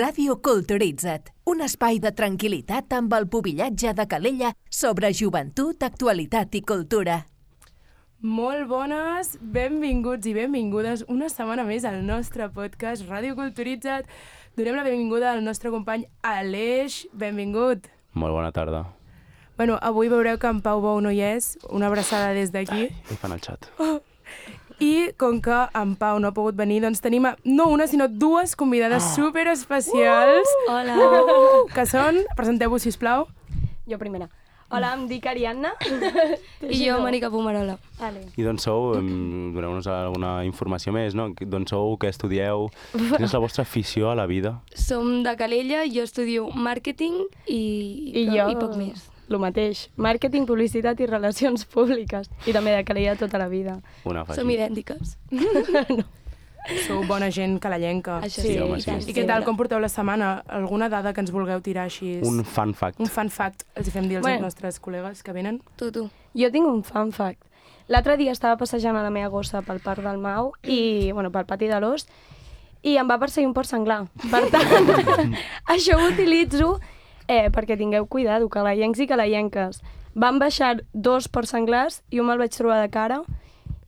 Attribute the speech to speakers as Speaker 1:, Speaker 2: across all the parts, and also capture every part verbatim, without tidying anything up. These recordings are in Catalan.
Speaker 1: Ràdio Culturitza't, un espai de tranquil·litat amb el pubillatge de Calella sobre joventut, actualitat i cultura.
Speaker 2: Molt bones, benvinguts i benvingudes una setmana més al nostre podcast Ràdio Culturitza't. Donem la benvinguda al nostre company Aleix. Benvingut.
Speaker 3: Molt bona tarda.
Speaker 2: Bueno, avui veureu que en Pau Bou no hi és. Una abraçada des d'aquí.
Speaker 3: Ai, fan el xat.
Speaker 2: Oh. I com que en Pau no ha pogut venir, doncs tenim a, no una, sinó dues convidades oh. superespecials.
Speaker 4: Uh! Hola!
Speaker 2: Uh! Que són, presenteu-vos, sisplau.
Speaker 4: Jo primera. Hola, em dic Ariadna.
Speaker 5: I jo, Mònica Pomarola.
Speaker 4: Vale.
Speaker 3: I d'on sou? Doneu-nos alguna informació més, no? D'on sou, què estudieu? Quina és la vostra afició a la vida?
Speaker 5: Som de Calella, jo estudio màrqueting i,
Speaker 4: I, jo,
Speaker 5: i poc més.
Speaker 4: El mateix. Màrqueting, publicitat i relacions públiques. I també de Calella tota la vida.
Speaker 3: Una afegit.
Speaker 5: Som idèntiques.
Speaker 4: No.
Speaker 2: Sou bona gent calellenca.
Speaker 5: Això
Speaker 3: Sí,
Speaker 5: sí,
Speaker 3: home,
Speaker 5: i tant.
Speaker 3: sí.
Speaker 2: I què tal, com porteu la setmana? Alguna dada que ens vulgueu tirar així?
Speaker 3: Un fun fact.
Speaker 2: Un fun fact. Els hi fem dir als
Speaker 4: Bueno.
Speaker 2: nostres col·legues que venen.
Speaker 5: Tu, tu.
Speaker 4: Jo tinc un fun fact. L'altre dia estava passejant a la meva gossa pel parc del Mau i, bueno, pel pati de l'Os i em va perseguir un porc senglar. Per tant, això ho utilitzo eh, perquè tingueu cuidado, calellencs i calellenques. Van baixar dos porcs senglars i un me'l vaig trobar de cara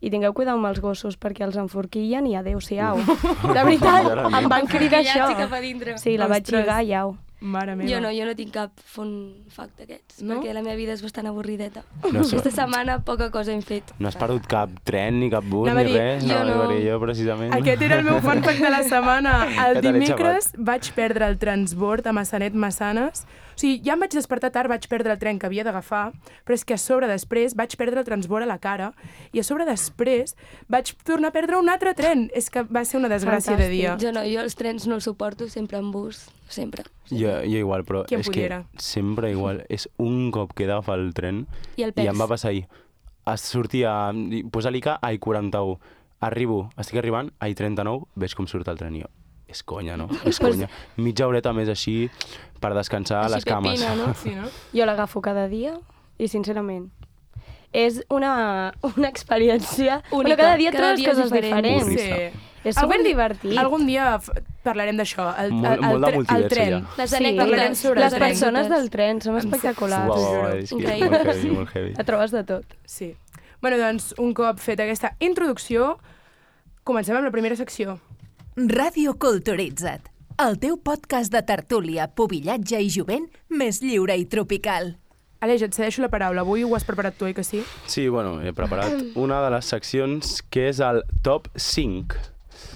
Speaker 4: i tingueu cuidado amb els gossos perquè els enforquillen i adeu-siau. De veritat, em van cridar això.
Speaker 5: Llatge cap a dintre.
Speaker 4: Sí, la vaig
Speaker 2: Ostres.
Speaker 4: lligar i au.
Speaker 2: Mare meva.
Speaker 5: Jo no, jo no tinc cap fun fact d'aquests,
Speaker 2: No?
Speaker 5: perquè la meva vida és bastant avorrideta.
Speaker 3: No sé.
Speaker 5: Aquesta setmana poca cosa hem fet.
Speaker 3: No has perdut cap tren, ni cap bus,
Speaker 2: Anava a
Speaker 3: ni
Speaker 2: dir,
Speaker 3: res?
Speaker 5: jo no.
Speaker 3: No, jo, precisament.
Speaker 2: Aquest era el meu fun fact de la setmana. El
Speaker 3: Ja te l'he
Speaker 2: dimecres vaig perdre el transbord a Massanet-Massanes. O sigui, ja em vaig despertar tard, vaig perdre el tren que havia d'agafar, però és que a sobre després vaig perdre el transbord a la cara i a sobre després vaig tornar a perdre un altre tren. És que va ser una desgràcia de dia.
Speaker 5: Jo no, jo els trens no els suporto, sempre en bus, sempre.
Speaker 3: Jo, jo igual, però
Speaker 2: Qui en
Speaker 3: és
Speaker 2: pudiera?
Speaker 3: que sempre igual. És un cop que he d'agafar el tren
Speaker 5: I el
Speaker 3: i em
Speaker 5: pes.
Speaker 3: va passar ahir. Es sortia, posa l'I C A a I quaranta-u. Arribo, estic arribant, a I trenta-nou, veig com surt el tren i jo. És conya, no? És conya. Mitja horeta més així per descansar a
Speaker 5: Així
Speaker 3: les cames.
Speaker 5: pepina, no?
Speaker 2: Sí, no?
Speaker 4: Jo l'agafo cada dia i, sincerament, és una, una experiència...
Speaker 5: Única.
Speaker 4: Bueno, cada dia
Speaker 5: Cada
Speaker 4: trobes
Speaker 5: dia és
Speaker 4: coses
Speaker 5: diferent.
Speaker 4: diferents.
Speaker 3: Burrista.
Speaker 4: És
Speaker 2: Algun-
Speaker 4: superdivertit.
Speaker 2: Algun dia f- parlarem d'això. El,
Speaker 3: Molt-
Speaker 2: el, el,
Speaker 3: molt de
Speaker 2: tre- el
Speaker 3: multiverso,
Speaker 2: tren.
Speaker 3: ja.
Speaker 5: Les
Speaker 4: Sí,
Speaker 5: anècdotes.
Speaker 2: parlarem sobre
Speaker 4: les
Speaker 2: el tren.
Speaker 4: persones del tren són espectaculars.
Speaker 3: Uau,
Speaker 2: T'ho
Speaker 3: uau,
Speaker 2: juro.
Speaker 3: és que
Speaker 5: Increïble.
Speaker 3: molt heavy, molt heavy.
Speaker 4: La trobes de tot.
Speaker 2: Sí. Bueno, doncs, un cop feta aquesta introducció, comencem amb la primera secció.
Speaker 1: Ràdio Culturitza't, el teu podcast de tertúlia, pubillatge i jovent més lliure i tropical.
Speaker 2: Aleix, et cedeixo la paraula. Avui ho has preparat tu, oi que sí?
Speaker 3: Sí, bueno, he preparat una de les seccions que és el top cinc.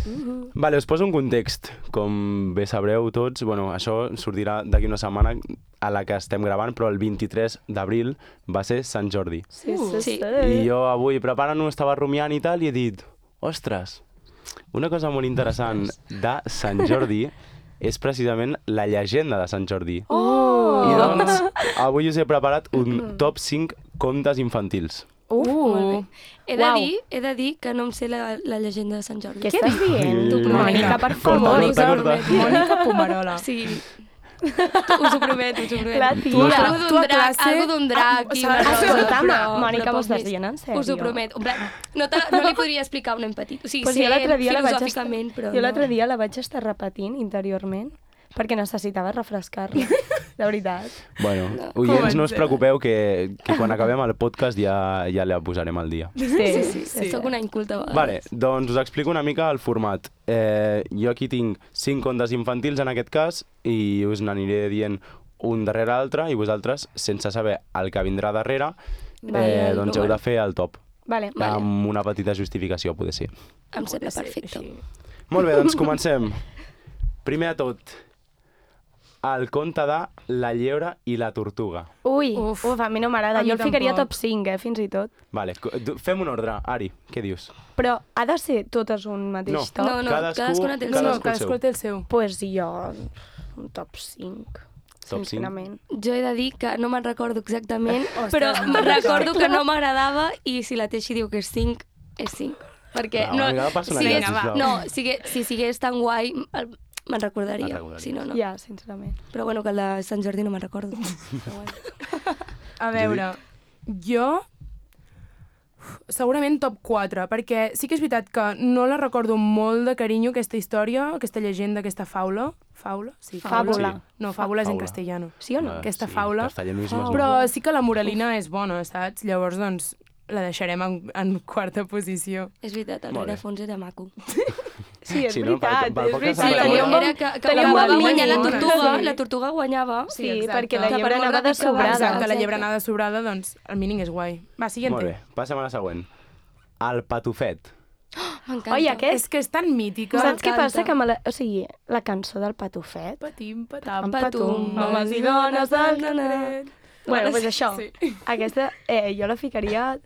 Speaker 2: Uh-huh.
Speaker 3: Vale, us poso un context. Com bé sabreu tots, bueno, això sortirà d'aquí una setmana a la que estem gravant, però el vint-i-tres d'abril va ser Sant Jordi.
Speaker 4: Sí,
Speaker 2: Uh,
Speaker 5: sí.
Speaker 3: I jo avui preparant-ho estava rumiant i tal i he dit, ostres, una cosa molt interessant de Sant Jordi és precisament la llegenda de Sant Jordi.
Speaker 4: Oh!
Speaker 3: I doncs, avui us he preparat un top cinc contes infantils.
Speaker 2: Uh!
Speaker 5: Molt bé. He de,
Speaker 4: Uau.
Speaker 5: dir, he de dir que no em sé la, la llegenda de Sant Jordi.
Speaker 4: Què estàs dient?
Speaker 3: T'ho prometo.
Speaker 4: Mònica, per
Speaker 3: Corta,
Speaker 4: favor.
Speaker 3: corta, corta.
Speaker 2: Mònica Pomarola.
Speaker 5: Sí, us ho prometo, us ho prometo.
Speaker 4: La tia.
Speaker 5: Algo
Speaker 2: Tu a
Speaker 5: d'un drac,
Speaker 2: classe-
Speaker 5: algo d'un drac
Speaker 2: Ah,
Speaker 5: i
Speaker 2: o
Speaker 5: una
Speaker 2: sigui,
Speaker 5: cosa,
Speaker 4: escolta'm,
Speaker 5: però-
Speaker 4: Mònica,
Speaker 5: però
Speaker 4: m'ho
Speaker 5: poc
Speaker 4: estàs
Speaker 5: més.
Speaker 4: dient en sèrio?
Speaker 5: Us ho prometo. En plan, no, te, no li podria explicar un nen petit. O sigui,
Speaker 4: Pues
Speaker 5: sé
Speaker 4: jo l'altre dia la vaig estar,
Speaker 5: filosòficament, però
Speaker 4: jo l'altre
Speaker 5: no.
Speaker 4: dia la vaig estar repetint interiorment perquè necessitava refrescar-la, de veritat.
Speaker 3: Bueno,
Speaker 5: No.
Speaker 3: oients, no us
Speaker 2: Comencem.
Speaker 3: preocupeu que, que quan acabem el podcast ja, ja la posarem al dia.
Speaker 4: Sí,
Speaker 5: Sí, sí,
Speaker 2: sí.
Speaker 5: sí. Soc una inculta a vegades.
Speaker 3: Vale, doncs us explico una mica el format. Eh, jo aquí tinc cinc contes infantils en aquest cas i us n'aniré dient un darrere l'altre i vosaltres, sense saber el que vindrà darrere,
Speaker 5: Vale,
Speaker 3: eh,
Speaker 5: el
Speaker 3: doncs heu
Speaker 5: número.
Speaker 3: de fer el top.
Speaker 4: Vale.
Speaker 5: Vale.
Speaker 3: Amb una petita justificació, poder ser.
Speaker 5: Em sembla
Speaker 2: Pot ser
Speaker 5: perfecte.
Speaker 2: així.
Speaker 3: Molt bé, doncs comencem. Primer de tot, el conte de La llebre i la tortuga.
Speaker 4: Ui,
Speaker 2: Uf.
Speaker 4: uf, a mi no m'agrada.
Speaker 2: A mi
Speaker 4: Jo el ficaria
Speaker 2: tampoc.
Speaker 4: top cinc, eh, fins i tot.
Speaker 3: Vale, co- du- fem un ordre. Ari, què dius?
Speaker 4: Però ha de ser totes un mateix
Speaker 3: No.
Speaker 4: top?
Speaker 5: No, no,
Speaker 3: Cadascú-
Speaker 5: cadascuna té el
Speaker 2: No,
Speaker 5: seu.
Speaker 2: no,
Speaker 3: Cadascú el
Speaker 2: cadascú
Speaker 3: seu.
Speaker 2: té el seu.
Speaker 4: Pues jo, un top cinc,
Speaker 3: Top cinc?
Speaker 4: sincerament.
Speaker 5: Jo he de dir que no me'n recordo exactament,
Speaker 2: Ostres,
Speaker 5: però
Speaker 2: no
Speaker 5: me'n
Speaker 2: me'n
Speaker 5: recordo
Speaker 2: recordo.
Speaker 5: que no m'agradava i si la Teixi diu que és cinc, és cinc. Perquè
Speaker 3: Va, una mica de personalitat,
Speaker 5: sigués-
Speaker 3: sisplau.
Speaker 5: no, sigue, si sigués tan guai, el- me'n recordaria.
Speaker 3: Me'n recordaries.
Speaker 5: Si no, no.
Speaker 4: Ja, sincerament.
Speaker 5: Però bueno, que el de Sant Jordi no me'n recordo. Però bueno.
Speaker 2: A veure, jo... Segurament top quatre, perquè sí que és veritat que no la recordo molt de carinyo, aquesta història, aquesta llegenda, aquesta faula. Faula? Sí,
Speaker 4: Fàbula.
Speaker 2: No, fàbula és en
Speaker 3: Faula.
Speaker 2: castellano.
Speaker 4: Sí o no?
Speaker 3: Ah,
Speaker 2: Aquesta
Speaker 3: sí,
Speaker 2: faula.
Speaker 3: castellanismes no.
Speaker 2: Però sí que la moralina és bona, saps? Llavors, doncs, la deixarem en, en quarta posició.
Speaker 5: És veritat, el
Speaker 3: Molt bé.
Speaker 5: rerefons era maco.
Speaker 4: Sí, és
Speaker 3: Sí, no?
Speaker 4: veritat,
Speaker 3: Per- per
Speaker 4: és
Speaker 3: poc que
Speaker 4: veritat.
Speaker 3: s'ha
Speaker 4: Tenia un bon-
Speaker 5: Era que, que
Speaker 4: tenia un
Speaker 5: acabava
Speaker 4: bon
Speaker 5: guanyant la
Speaker 4: mínim.
Speaker 5: tortuga,
Speaker 4: Sí.
Speaker 5: la tortuga guanyava.
Speaker 4: Sí,
Speaker 2: exacte.
Speaker 4: perquè la
Speaker 5: Que per
Speaker 4: llebre
Speaker 5: molt
Speaker 4: anava de
Speaker 5: ràpid que va,
Speaker 4: sobrada.
Speaker 2: Exacte, la
Speaker 5: exacte.
Speaker 2: llebre anava sobrada, doncs el mínim és guai. Va, siguiente.
Speaker 3: Molt bé, passem a la següent. El patufet.
Speaker 5: M'encanta.
Speaker 4: Oi, aquest...
Speaker 2: És que és tan mítica.
Speaker 4: Saps què
Speaker 5: m'encanta.
Speaker 4: passa? Que me la... O sigui, la cançó del Patufet...
Speaker 2: Patim, patam,
Speaker 4: Patum,
Speaker 2: patum,
Speaker 4: homes i dones del
Speaker 2: carrer.
Speaker 4: Bueno, doncs això.
Speaker 2: Sí.
Speaker 4: Aquesta, eh, jo la ficaria...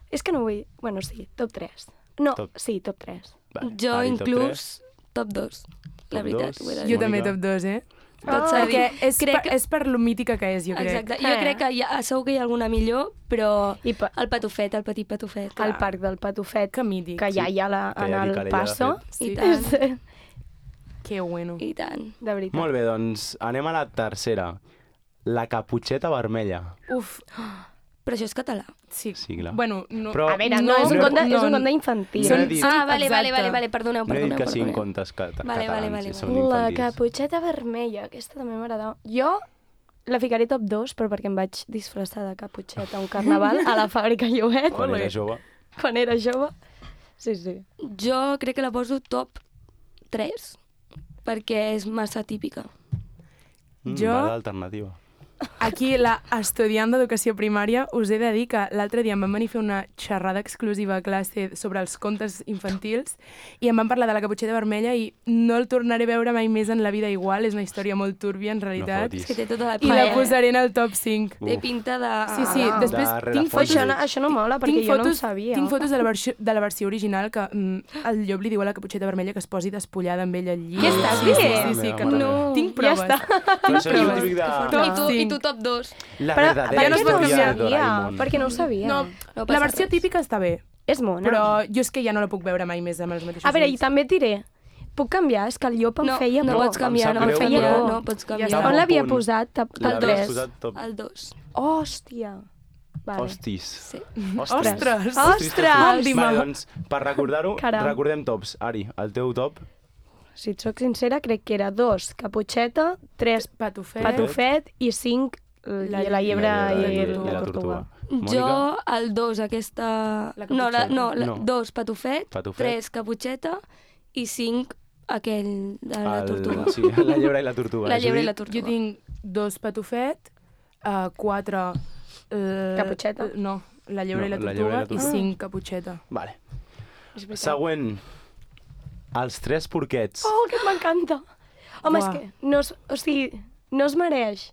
Speaker 4: És que no vull... Bueno, sí, top tres. No,
Speaker 3: Top.
Speaker 4: sí, top tres.
Speaker 3: Vale.
Speaker 5: Jo
Speaker 3: Ari, top
Speaker 5: inclús top dos. La
Speaker 3: Top
Speaker 5: veritat,
Speaker 3: dos.
Speaker 5: ho he de
Speaker 2: Jo
Speaker 5: dir.
Speaker 2: també
Speaker 3: Mònica.
Speaker 2: top dos, eh?
Speaker 5: Tot s'ha de
Speaker 2: Perquè
Speaker 5: dir.
Speaker 2: és,
Speaker 5: Crec
Speaker 2: per,
Speaker 5: que-
Speaker 2: és per lo mítica que és, jo crec.
Speaker 5: Exacte. Jo
Speaker 4: Eh.
Speaker 5: crec que hi ha, segur que hi ha alguna millor, però
Speaker 4: I pa
Speaker 5: el patufet, el petit patufet.
Speaker 4: el parc del Patufet,
Speaker 2: Que mític.
Speaker 4: que ja hi ha la,
Speaker 3: Que
Speaker 4: en
Speaker 3: ja dic
Speaker 4: el
Speaker 3: que l'ella
Speaker 4: passo.
Speaker 3: ha
Speaker 2: Sí.
Speaker 5: I tant,
Speaker 4: Sí,
Speaker 2: Que bueno.
Speaker 5: i tant.
Speaker 4: de veritat.
Speaker 3: Molt bé, doncs anem a la tercera. La caputxeta vermella.
Speaker 2: Uf,
Speaker 5: Però això és català.
Speaker 2: sí.
Speaker 3: Sí, clar.
Speaker 2: Bueno, no,
Speaker 3: Però-
Speaker 4: A veure, no, és un
Speaker 3: no-
Speaker 4: conte, és
Speaker 2: no-
Speaker 4: un conte infantil.
Speaker 3: No he dit-
Speaker 5: Ah, vale,
Speaker 2: Exacte.
Speaker 5: vale, vale, vale, perdoneu,
Speaker 3: No he dit
Speaker 5: perdoneu,
Speaker 3: que siguin
Speaker 5: perdoneu.
Speaker 3: contes ca
Speaker 5: Vale,
Speaker 3: catalans,
Speaker 5: vale, vale,
Speaker 3: són
Speaker 5: vale.
Speaker 4: La
Speaker 3: infantils.
Speaker 4: caputxeta vermella, aquesta també m'agradava. Jo la ficaré top dos, però perquè em vaig disfressar de caputxeta a un carnaval a la fàbrica Llobet,
Speaker 3: Quan era jove.
Speaker 4: quan era jove. Sí, sí.
Speaker 5: Jo crec que la poso top tres, perquè és massa típica.
Speaker 3: Mm,
Speaker 2: Jo-
Speaker 3: Va d'alternativa.
Speaker 2: Aquí, la estudiant d'educació primària, us he de dir que l'altre dia em van venir a fer una xerrada exclusiva a classe sobre els contes infantils i em van parlar de la caputxeta vermella i no el tornaré a veure mai més en la vida igual. És una història molt túrbia, en realitat.
Speaker 3: fotis.
Speaker 5: És que té tota la
Speaker 2: I la
Speaker 5: pinta.
Speaker 2: posaré en el top cinc.
Speaker 5: Té pinta de...
Speaker 2: Sí, sí,
Speaker 4: Ah,
Speaker 2: després
Speaker 3: de
Speaker 2: tinc
Speaker 3: rerefons.
Speaker 2: fotos...
Speaker 4: Això no, això no mola, perquè
Speaker 2: tinc
Speaker 4: jo no ho
Speaker 2: fotos,
Speaker 4: sabia.
Speaker 2: tinc fotos de la, versió, de la versió original que mm, el llop li diu a la caputxeta vermella que es posi despullada amb ella al llit.
Speaker 4: Què estàs
Speaker 2: sí,
Speaker 4: dient?
Speaker 2: Sí, sí, sí, que
Speaker 3: No.
Speaker 2: no. Tinc
Speaker 4: Ja
Speaker 2: proves.
Speaker 4: està.
Speaker 3: Però això és el
Speaker 2: proves.
Speaker 3: típic de...
Speaker 5: I tu, I
Speaker 2: cinc.
Speaker 5: tu top dos.
Speaker 3: La
Speaker 4: Però
Speaker 3: verdadera
Speaker 4: per què no ho
Speaker 3: història de
Speaker 4: sabia?
Speaker 3: Doraemon.
Speaker 4: Perquè no ho sabia.
Speaker 2: No,
Speaker 5: No
Speaker 2: la
Speaker 5: passa
Speaker 2: versió
Speaker 5: res.
Speaker 2: típica està bé,
Speaker 4: És mona.
Speaker 2: però jo és que ja no la puc veure mai més amb els mateixos
Speaker 4: A veure, i
Speaker 2: ulls.
Speaker 4: també et diré, puc canviar? És que el llop em
Speaker 5: No,
Speaker 4: feia
Speaker 5: no
Speaker 4: por.
Speaker 5: pots canviar,
Speaker 3: Em
Speaker 5: no
Speaker 3: sap
Speaker 5: pots
Speaker 3: greu,
Speaker 5: canviar,
Speaker 3: però-
Speaker 5: no pots canviar.
Speaker 2: Ja està.
Speaker 4: On l'havia
Speaker 3: Punt.
Speaker 4: posat? Top, top
Speaker 3: L'havies
Speaker 4: tres.
Speaker 3: posat top...
Speaker 5: El dos.
Speaker 4: Hòstia. Vale.
Speaker 3: Hostis.
Speaker 5: Sí.
Speaker 2: Ostres!
Speaker 4: Ostres!
Speaker 3: Vale, doncs, per recordar-ho,
Speaker 4: Caram.
Speaker 3: recordem tops. Ari, el teu top?
Speaker 4: Si et soc sincera, crec que era dos caputxeta, tres
Speaker 2: Patufet.
Speaker 4: patufet i cinc la, la llebre
Speaker 3: La
Speaker 4: i,
Speaker 3: llebre
Speaker 4: la tortuga.
Speaker 5: Jo, el dos, aquesta...
Speaker 2: La
Speaker 5: no, la,
Speaker 2: caputxeta.
Speaker 5: no, la,
Speaker 3: No.
Speaker 5: dos, patufet,
Speaker 3: Patufet.
Speaker 5: tres, caputxeta, i cinc, aquell de la
Speaker 3: El-
Speaker 5: tortuga.
Speaker 3: Sí, la llebre i la tortuga.
Speaker 5: La llebre i la
Speaker 3: Judit?
Speaker 5: tortuga.
Speaker 2: Jo tinc dos patufet, uh, quatre... Uh,
Speaker 4: Caputxeta?
Speaker 2: No, la llebre
Speaker 3: No,
Speaker 2: i la
Speaker 3: la llebre i
Speaker 2: tortuga
Speaker 3: la
Speaker 2: i,
Speaker 3: tortuga.
Speaker 2: cinc caputxeta.
Speaker 3: Vale.
Speaker 4: És veritat.
Speaker 3: Següent. Els tres porquets.
Speaker 4: Oh, que m'encanta! Home,
Speaker 2: Buah.
Speaker 4: és que no es, o sigui, no es mereix.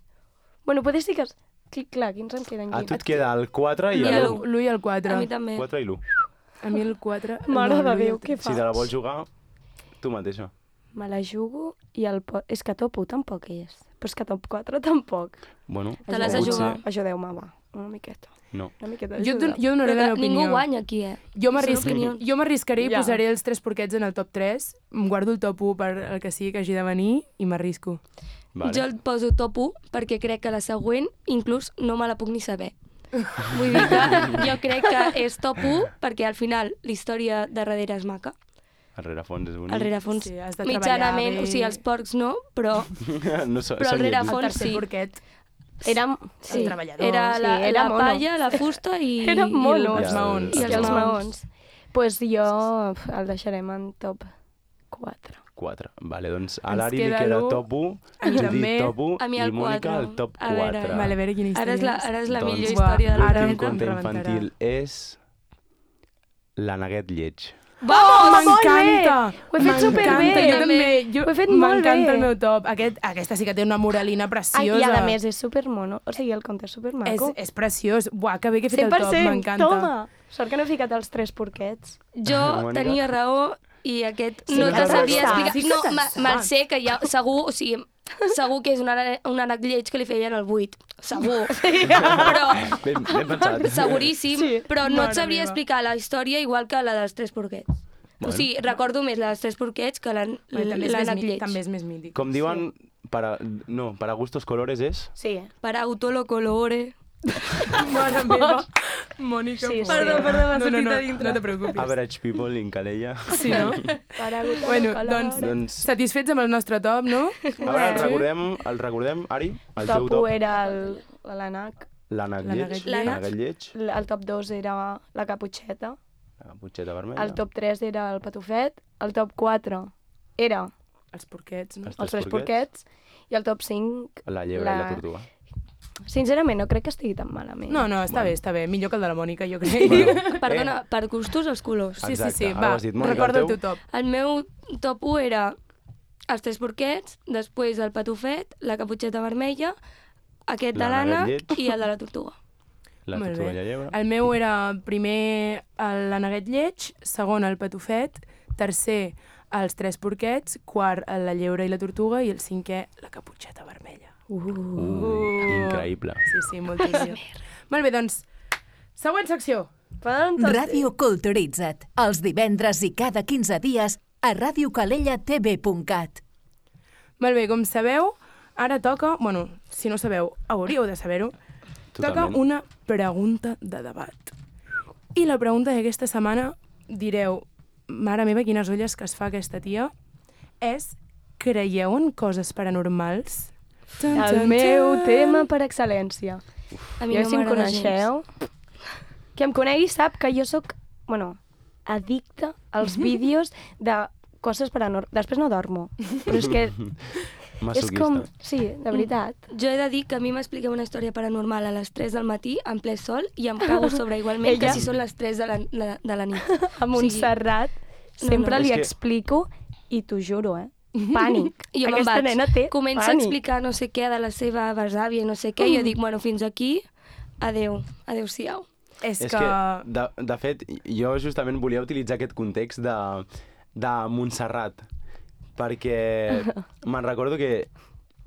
Speaker 4: Bueno, potser sí que... Es... Clic, clar, quins em queden
Speaker 3: A
Speaker 4: aquí?
Speaker 3: tu et queda el quatre i
Speaker 5: I
Speaker 3: l'u.
Speaker 5: l'u.
Speaker 2: L'u i el quatre.
Speaker 5: A mi també.
Speaker 3: quatre i l'u.
Speaker 2: A mi el quatre...
Speaker 4: Mare
Speaker 2: no,
Speaker 4: de
Speaker 2: l'u i el
Speaker 4: Déu, què
Speaker 2: tres.
Speaker 3: Si
Speaker 4: faig?
Speaker 3: te la vols jugar, tu mateixa.
Speaker 4: Me la jugo i el... Po... És que top u tampoc és. Però és que top quatre tampoc.
Speaker 3: Bueno,
Speaker 5: Te l'has de
Speaker 3: potser-
Speaker 5: jugar.
Speaker 4: Ajudeu-me, va. Una miqueta.
Speaker 3: No.
Speaker 4: Una miqueta
Speaker 2: Jo,
Speaker 4: d'ajuda.
Speaker 2: don- jo donaré
Speaker 5: Però
Speaker 2: la
Speaker 5: que
Speaker 2: meva opinió.
Speaker 5: ningú guanya aquí, eh?
Speaker 2: Jo
Speaker 5: Són
Speaker 2: m'arrisc-
Speaker 5: opinions.
Speaker 2: jo m'arriscaré i
Speaker 4: Ja.
Speaker 2: posaré els tres porquets en el top tres, em guardo el top u per el que sigui que hagi de venir i m'arrisco.
Speaker 3: Vale.
Speaker 5: Jo el poso top u perquè crec que la següent inclús no me la puc ni saber. Vull dir que jo crec que és top u perquè al final la història de darrere és maca.
Speaker 3: El rerefons és bonic.
Speaker 5: El rerefons
Speaker 2: Sí, has de
Speaker 5: mitjanament,
Speaker 2: treballar bé.
Speaker 5: o sigui, els porcs no, però
Speaker 3: no so,
Speaker 5: però el
Speaker 3: són lletjos.
Speaker 5: rerefons-
Speaker 2: El
Speaker 5: Fons,
Speaker 2: tercer
Speaker 5: sí.
Speaker 2: porquet.
Speaker 4: Era...
Speaker 2: Sí. El treballador.
Speaker 5: era la,
Speaker 4: sí, era
Speaker 5: la
Speaker 4: mono.
Speaker 5: palla, la fusta i,
Speaker 4: Era mono.
Speaker 5: i
Speaker 2: Els
Speaker 3: Ja,
Speaker 2: maons.
Speaker 4: I
Speaker 5: I
Speaker 4: els,
Speaker 5: els
Speaker 4: maons. Pues jo pf, el deixarem en top quatre.
Speaker 3: quatre. Vale, doncs a
Speaker 2: Ens
Speaker 3: l'Ari li
Speaker 2: queda
Speaker 3: queda
Speaker 2: l'u.
Speaker 3: top u,
Speaker 2: A mi
Speaker 3: Judit
Speaker 2: també.
Speaker 3: top u
Speaker 5: A mi
Speaker 3: i
Speaker 5: el
Speaker 3: Mònica
Speaker 5: quatre.
Speaker 3: el top
Speaker 5: A veure,
Speaker 3: quatre.
Speaker 2: Vale, a veure quina història
Speaker 5: Ara és la,
Speaker 2: és.
Speaker 5: ara és la
Speaker 3: Doncs,
Speaker 5: millor
Speaker 2: buah,
Speaker 5: història de la
Speaker 2: ara
Speaker 3: L'últim
Speaker 2: em
Speaker 5: planeta.
Speaker 3: conte
Speaker 2: rebentarà.
Speaker 3: infantil és la Neguet lleig.
Speaker 4: Vamos,
Speaker 2: M'encanta!
Speaker 4: Ho he fet superbé.
Speaker 2: M'encanta, jo també. Jo,
Speaker 4: Ho he fet molt bé.
Speaker 2: M'encanta el meu top. Aquest, aquesta sí que té una moralina
Speaker 4: Ai,
Speaker 2: preciosa.
Speaker 4: I a més és supermono. O sigui, el conte és
Speaker 2: és,
Speaker 4: supermaco.
Speaker 2: és preciós. Buah, que bé que he fet
Speaker 4: cent per
Speaker 2: el top,
Speaker 4: cent,
Speaker 2: m'encanta.
Speaker 4: toma! Sort que no he ficat els tres porquets.
Speaker 5: Jo
Speaker 3: Mònica?
Speaker 5: tenia raó i aquest
Speaker 4: Sí
Speaker 5: no
Speaker 4: que
Speaker 5: te
Speaker 4: te'l
Speaker 5: sabria
Speaker 4: saps.
Speaker 5: explicar.
Speaker 2: Sí que
Speaker 5: No,
Speaker 2: te'l
Speaker 5: ma-
Speaker 2: saps.
Speaker 5: me'l sé que hi ha, segur, o sigui, segur que és un, ara- un ànec lleig que li feien el buit. Segur. Però,
Speaker 3: Ben, ben pensat.
Speaker 5: seguríssim,
Speaker 4: Sí.
Speaker 5: però no
Speaker 2: Mare
Speaker 5: et sabria
Speaker 2: meva.
Speaker 5: explicar la història igual que la dels tres porquets.
Speaker 3: Bueno.
Speaker 5: O sigui, recordo més la dels tres porquets que l'an-
Speaker 2: Bueno, també, és més,
Speaker 5: l'ànec
Speaker 2: mi-
Speaker 5: lleig.
Speaker 2: també és més mític.
Speaker 3: Com diuen, para, no, para gustos colores és...
Speaker 4: Sí.
Speaker 5: Per auto lo colore.
Speaker 2: Mare meva. Mònica.
Speaker 4: Sí, sí.
Speaker 5: Perdó, perdó, m'ha
Speaker 2: no, no,
Speaker 5: sortit
Speaker 2: no,
Speaker 5: a dintre.
Speaker 2: no te preocupis.
Speaker 3: Average people in Calella.
Speaker 2: Sí, no?
Speaker 4: Paragut,
Speaker 2: Bueno,
Speaker 4: palabra.
Speaker 2: doncs,
Speaker 3: Doncs,
Speaker 2: satisfets amb el nostre top, no?
Speaker 3: a veure, el recordem, el recordem, Ari? El teu
Speaker 4: Top u
Speaker 3: top?
Speaker 4: era el- l'Anac,
Speaker 3: L'Ànec
Speaker 2: L'Ànec
Speaker 3: Lleig.
Speaker 2: Lleig.
Speaker 3: L'Ànec Lleig.
Speaker 4: el top dos era la Caputxeta,
Speaker 3: La Caputxeta vermella.
Speaker 4: el top tres era el Patufet, el top quatre era
Speaker 2: Els porquets, no?
Speaker 3: Els
Speaker 4: els tres porquets i el top cinc...
Speaker 3: La llebre
Speaker 4: la-
Speaker 3: i la tortuga.
Speaker 4: Sincerament, no crec que estigui tan malament.
Speaker 2: No, no, està bé, està bé. Millor que el de la Mònica, jo crec.
Speaker 3: Bueno,
Speaker 5: Perdona, per gustos els colors.
Speaker 2: Sí, sí,
Speaker 3: Exacte,
Speaker 2: sí,
Speaker 3: ara
Speaker 2: va,
Speaker 3: ho has dit. Mònica,
Speaker 2: recorda
Speaker 3: el
Speaker 2: el
Speaker 3: teu?
Speaker 2: teu top.
Speaker 5: El meu top u era els tres porquets, després el patufet, la caputxeta vermella, aquest de
Speaker 3: L'Ànec
Speaker 5: l'Anna
Speaker 3: Lleig.
Speaker 5: i el de la tortuga.
Speaker 3: La
Speaker 2: Molt
Speaker 3: tortuga
Speaker 2: bé.
Speaker 3: i la llebre.
Speaker 2: El meu era primer l'Aneguet Lleig, segon el Patufet, tercer els tres porquets, quart la llebre i la tortuga i el cinquè la caputxeta vermella.
Speaker 3: Uh, increïble.
Speaker 2: Sí, sí, molt il·lusió. Molt bé, doncs, següent secció.
Speaker 4: Fantàstic.
Speaker 1: Ràdio Culturitza't, els divendres i cada quinze dies a radio calella t v punt cat.
Speaker 2: Molt bé, com sabeu, ara toca, bueno, si no sabeu, hauríeu de saber-ho, toca
Speaker 3: Totalment.
Speaker 2: una pregunta de debat. I la pregunta d'aquesta setmana, direu, mare meva, quines olles que es fa aquesta tia, és, creieu en coses paranormals? Tan,
Speaker 4: El
Speaker 2: tan,
Speaker 4: meu
Speaker 2: tan.
Speaker 4: tema per excel·lència.
Speaker 5: A mi
Speaker 4: Jo,
Speaker 5: no
Speaker 4: si em
Speaker 5: m'agrada gens.
Speaker 4: coneixeu, que em conegui sap que jo sóc, bueno, addicta als vídeos de coses paranormals. Després no dormo, però és que és
Speaker 3: Masoquista.
Speaker 4: com... Sí, de veritat.
Speaker 5: Jo he de dir que a mi m'expliqueu una història paranormal a les tres del matí, en ple sol, i em cago sobre igualment
Speaker 4: Ella-
Speaker 5: que si són les tres de la, la, de la nit.
Speaker 4: A Montserrat
Speaker 5: no,
Speaker 4: sempre
Speaker 5: no.
Speaker 4: li
Speaker 3: És que-
Speaker 4: explico i t'ho juro, eh? Pànic.
Speaker 5: I jo me'n
Speaker 4: Aquesta
Speaker 5: vaig,
Speaker 4: nena té
Speaker 5: comença a
Speaker 4: pànic.
Speaker 5: explicar no sé què de la seva besàvia i no sé què, i jo dic, bueno, fins aquí, adeu, adeu-siau.
Speaker 2: És,
Speaker 3: És
Speaker 2: que...
Speaker 3: que, de, de fet, jo justament volia utilitzar aquest context de, de Montserrat, perquè me'n recordo que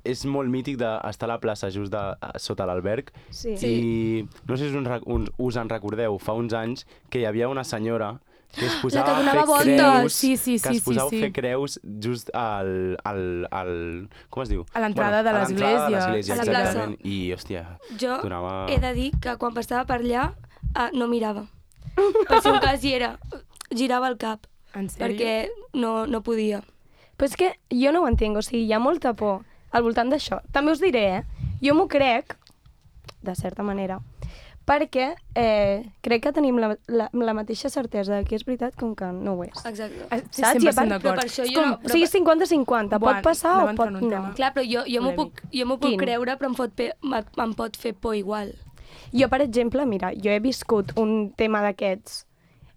Speaker 3: és molt mític d'estar a la plaça just de, sota l'alberg
Speaker 4: Sí.
Speaker 3: i no sé si us, en- us, us en recordeu, fa uns anys que hi havia una senyora que es posava
Speaker 5: que
Speaker 3: a
Speaker 5: donava
Speaker 3: fer
Speaker 5: voltes.
Speaker 3: creus,
Speaker 2: Sí, sí,
Speaker 3: que
Speaker 2: sí,
Speaker 3: es posava
Speaker 2: sí,
Speaker 3: a
Speaker 2: sí.
Speaker 3: fer creus just al, al, al... com es diu?
Speaker 2: A l'entrada de
Speaker 3: a l'entrada de
Speaker 2: l'església.
Speaker 3: l'església,
Speaker 5: A la plaça.
Speaker 3: exactament. I, hòstia,
Speaker 5: Jo
Speaker 3: donava...
Speaker 5: he de dir que quan passava per allà ah, no mirava. Per si un cas hi era, girava el cap,
Speaker 2: En sèrio?
Speaker 5: perquè no, no podia.
Speaker 4: Però és que jo no ho entenc, o sigui, hi ha molta por al voltant d'això. També us diré, eh? Jo m'ho crec, de certa manera, perquè eh, crec que tenim la, la, la mateixa certesa de que és veritat com que no ho és.
Speaker 5: Exacte.
Speaker 2: Ah, sí,
Speaker 4: Saps? I a
Speaker 2: cent per cent
Speaker 4: part-
Speaker 2: d'acord.
Speaker 5: però per això
Speaker 2: És
Speaker 5: jo
Speaker 2: com-
Speaker 5: no-
Speaker 4: O sigui, cinquanta cinquanta,
Speaker 2: Buah,
Speaker 4: pot passar
Speaker 2: no
Speaker 4: o
Speaker 2: va entrar
Speaker 4: pot
Speaker 2: en un
Speaker 4: no.
Speaker 2: tema.
Speaker 5: Clar, però jo, jo m'ho
Speaker 2: Polèmic.
Speaker 5: puc, jo m'ho puc
Speaker 4: Quin?
Speaker 5: creure, però em pot, fer, em, em pot fer por igual.
Speaker 4: Jo, per exemple, mira, jo he viscut un tema d'aquests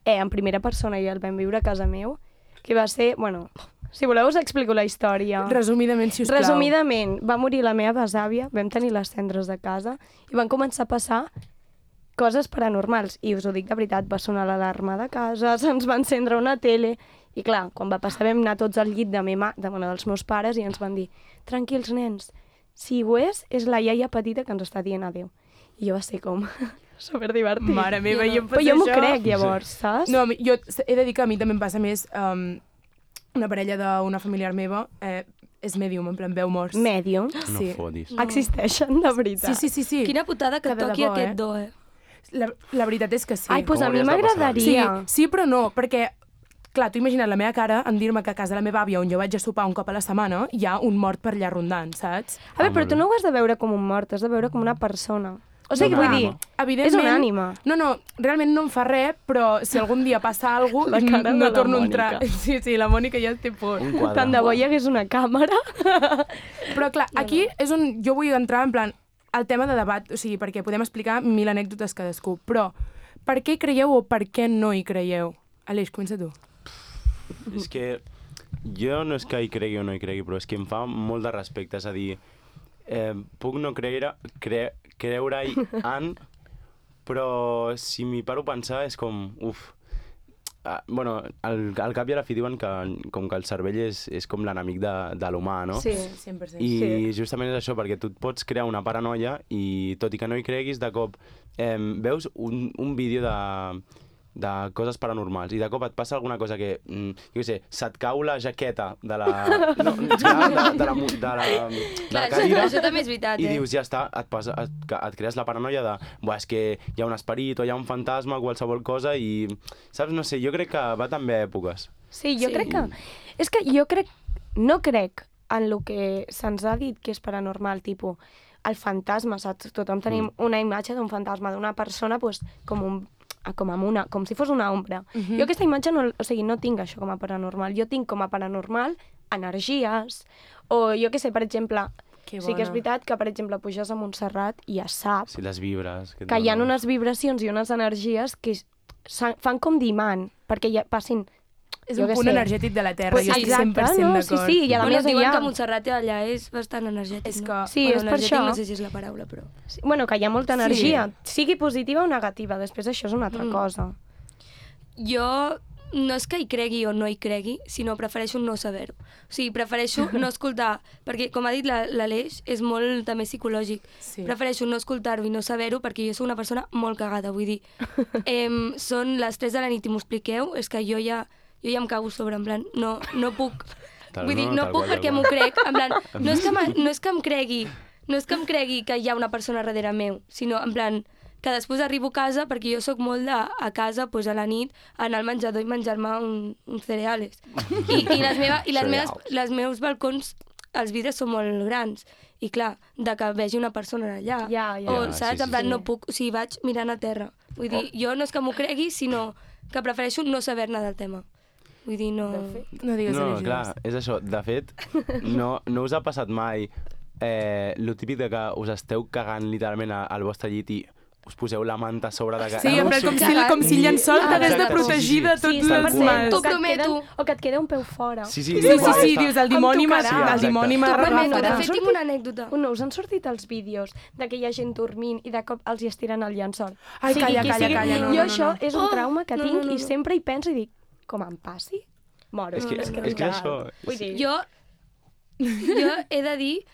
Speaker 4: eh, en primera persona i el vam viure a casa meu, que va ser, bueno, si voleu us explico la història.
Speaker 2: Resumidament, si us plau.
Speaker 4: Resumidament, va morir la meva besàvia, vam tenir les cendres de casa i van començar a passar coses paranormals. I us ho dic de veritat, va sonar l'alarma de casa, se'ns va encendre una tele... I clar, quan va passar vam anar tots al llit de, meva, de, bueno, dels meus pares i ens van dir tranquils, nens, si ho és, és la iaia petita que ens està dient adéu. I jo va ser com superdivertit.
Speaker 2: Mare meva,
Speaker 5: Jo
Speaker 2: jo
Speaker 5: no.
Speaker 2: em
Speaker 4: Però jo m'ho
Speaker 2: això.
Speaker 4: crec, llavors, saps?
Speaker 2: No, a mi- jo he de dir que a mi també em passa més... Um, una parella d'una familiar meva eh, és medium, en plan veu morts.
Speaker 4: Medium.
Speaker 3: No
Speaker 2: Sí.
Speaker 3: fotis.
Speaker 5: No.
Speaker 4: Existeixen, de veritat.
Speaker 2: Sí, sí, sí, sí.
Speaker 5: Quina putada que,
Speaker 2: Que de
Speaker 5: toqui
Speaker 2: debò,
Speaker 5: aquest
Speaker 2: eh?
Speaker 5: do, eh?
Speaker 2: La, la veritat és que sí.
Speaker 4: Ai, doncs
Speaker 3: Com
Speaker 4: a mi
Speaker 3: hauries de passar?
Speaker 2: Sí,
Speaker 4: m'agradaria.
Speaker 2: sí, però no, perquè, clar, tu imagina't la meva cara en dir-me que a casa de la meva àvia, on jo vaig a sopar un cop a la setmana, hi ha un mort per allà rondant, saps?
Speaker 4: A veure,
Speaker 3: Ah,
Speaker 4: però
Speaker 3: molt
Speaker 4: tu
Speaker 3: bé.
Speaker 4: no ho has de veure com un mort, has de veure com una persona. O sigui,
Speaker 3: No,
Speaker 4: vull
Speaker 3: no,
Speaker 4: dir,
Speaker 3: no.
Speaker 2: Evidentment,
Speaker 4: és una ànima.
Speaker 2: No, no, realment no em fa res, però si algun dia passa alguna
Speaker 4: La
Speaker 2: cosa,
Speaker 4: cara de
Speaker 2: no
Speaker 4: la
Speaker 2: torno a
Speaker 4: Mònica.
Speaker 2: entrar. Sí, sí, la Mònica ja té por.
Speaker 3: Un quadre.
Speaker 4: tant de bo hi hagués una càmera.
Speaker 2: Però clar, aquí és on jo vull entrar en plan el tema de debat, o sigui, perquè podem explicar mil anècdotes cadascú, però per què hi creieu o per què no hi creieu? Aleix, comença tu.
Speaker 3: És que jo no és que hi cregui o no hi cregui, però és que em fa molt de respecte. És a dir, eh, puc no creure, cre, creure-hi en, però si m'hi paro a pensar és com, uf, ah, bueno, al, al cap i a la fi diuen que com que el cervell és, és com l'enemic de, de l'humà, no?
Speaker 4: Sí.
Speaker 2: cent per cent.
Speaker 3: I
Speaker 4: Sí.
Speaker 3: justament és això, perquè tu et pots crear una paranoia i tot i que no hi creguis, de cop eh, veus un, un vídeo de de coses paranormals, i de cop et passa alguna cosa que, mm, jo què sé, se't cau la jaqueta de la... No, de, de, la, de, la, de, la, de
Speaker 5: Clar,
Speaker 3: la
Speaker 5: això,
Speaker 3: cadira,
Speaker 5: això també és veritat,
Speaker 3: i
Speaker 5: eh?
Speaker 3: dius, ja està, et, passa, et, et crees la paranoia de, buah, és que hi ha un esperit o hi ha un fantasma o qualsevol cosa, i, saps, no sé, jo crec que va també a èpoques.
Speaker 4: Sí, jo
Speaker 5: Sí.
Speaker 4: crec que... És que jo crec... No crec en el que se'ns ha dit que és paranormal, tipus, el fantasma, saps? Tothom tenim
Speaker 3: Mm.
Speaker 4: una imatge d'un fantasma, d'una persona, pues, com un com amb una, com si fos una ombra.
Speaker 2: Mhm.
Speaker 4: Jo aquesta imatge, no, o sigui, no tinc això com a paranormal. Jo tinc com a paranormal energies, o jo què sé, per exemple,
Speaker 2: Que
Speaker 4: sí que és
Speaker 2: bona.
Speaker 4: veritat que, per exemple, puges a Montserrat i es sap
Speaker 3: Sí, les vibres... et
Speaker 4: que hi ha
Speaker 3: donen.
Speaker 4: unes vibracions i unes energies que s'han- fan com d'imant, perquè ja passin...
Speaker 2: És
Speaker 4: jo
Speaker 2: un
Speaker 4: què
Speaker 2: punt
Speaker 4: sé.
Speaker 2: energètic de la Terra,
Speaker 4: Pues
Speaker 2: jo estic
Speaker 4: exacte,
Speaker 2: cent per cent
Speaker 4: no?
Speaker 2: d'acord.
Speaker 4: Sí, sí, i a
Speaker 5: Bueno,
Speaker 4: més
Speaker 5: diuen
Speaker 4: allà...
Speaker 5: que Montserrat allà és bastant energètic,
Speaker 2: És
Speaker 5: no?
Speaker 2: que-
Speaker 4: Sí,
Speaker 5: bueno,
Speaker 4: és per
Speaker 5: energètic
Speaker 4: això.
Speaker 5: no sé si és la paraula, però...
Speaker 4: Sí, bueno, que hi ha molta
Speaker 2: Sí.
Speaker 4: energia, sigui positiva o negativa, després això és una altra
Speaker 5: Mm.
Speaker 4: cosa.
Speaker 5: Jo no és que hi cregui o no hi cregui, sinó prefereixo no saber-ho. O sigui, prefereixo no escoltar, perquè, com ha dit la- l'Aleix, és molt també psicològic.
Speaker 2: Sí.
Speaker 5: Prefereixo no escoltar-ho i no saber-ho perquè jo sóc una persona molt cagada, vull dir, em, són les tres de la nit i m'ho expliqueu, és que jo ja, jo ja em cago sobre, en plan, no, no puc.
Speaker 3: Tal-
Speaker 5: Vull dir,
Speaker 3: no,
Speaker 5: no,
Speaker 3: tal
Speaker 5: puc
Speaker 3: qual, tal
Speaker 5: perquè
Speaker 3: qual.
Speaker 5: m'ho crec, en plan, no és, que me- no és que em cregui, no és que em cregui que hi ha una persona darrere meu, sinó en plan, que després arribo a casa, perquè jo sóc molt de, a casa, pues, a la nit, anar al menjador i menjar-me un, uns cereales. I, i, les, meva, i les, meves,
Speaker 3: Cereals.
Speaker 5: les meus balcons, els vidres són molt grans. I clar, de que vegi una persona allà.
Speaker 4: Ja, ja.
Speaker 5: O,
Speaker 3: Ja,
Speaker 5: saps?
Speaker 3: sí,
Speaker 5: En plan,
Speaker 4: sí.
Speaker 5: no puc... O sigui, vaig mirant a terra. Vull dir, jo no és que m'ho cregui, sinó que prefereixo no saber-ne del tema. Vull dir, no...
Speaker 2: No digues
Speaker 3: No,
Speaker 2: energies.
Speaker 3: clar, és això. De fet, no, no us ha passat mai eh, lo típic de que us esteu cagant literalment a- al vostre llit i us poseu la manta a sobre de...
Speaker 2: Sí, en plan, com si, com si el llençol
Speaker 5: Ah,
Speaker 2: t'hagués de
Speaker 5: exacte,
Speaker 2: protegir de
Speaker 3: sí,
Speaker 2: tots
Speaker 3: sí,
Speaker 2: els
Speaker 3: cent per cent.
Speaker 2: mals.
Speaker 5: T'ho
Speaker 4: o, que et
Speaker 5: prometo.
Speaker 4: queda, o que et queda un peu fora.
Speaker 3: Sí, sí,
Speaker 2: Sí, sí,
Speaker 3: igual,
Speaker 2: sí,
Speaker 3: està.
Speaker 2: dius, el dimoni
Speaker 4: Em
Speaker 2: m'ha
Speaker 4: tocarà.
Speaker 2: el dimoni m'ha
Speaker 5: T'ho prometo, de
Speaker 2: agafarà.
Speaker 5: fet, tinc una anècdota.
Speaker 4: No, us han sortit els vídeos de que hi ha gent dormint i de cop els hi estiren el llençol.
Speaker 2: Ai,
Speaker 4: Sigui
Speaker 2: calla,
Speaker 4: qui
Speaker 2: calla,
Speaker 4: sigui.
Speaker 2: calla, no,
Speaker 4: Jo
Speaker 2: no,
Speaker 4: això
Speaker 2: no.
Speaker 4: és un
Speaker 5: Oh,
Speaker 4: trauma que
Speaker 5: no,
Speaker 4: tinc
Speaker 5: no, no,
Speaker 4: i
Speaker 5: no.
Speaker 4: sempre hi penso i dic, com em passi, moro.
Speaker 3: És que,
Speaker 5: No, és que
Speaker 3: és que això...
Speaker 4: Vull dir,
Speaker 5: Jo, jo he de dir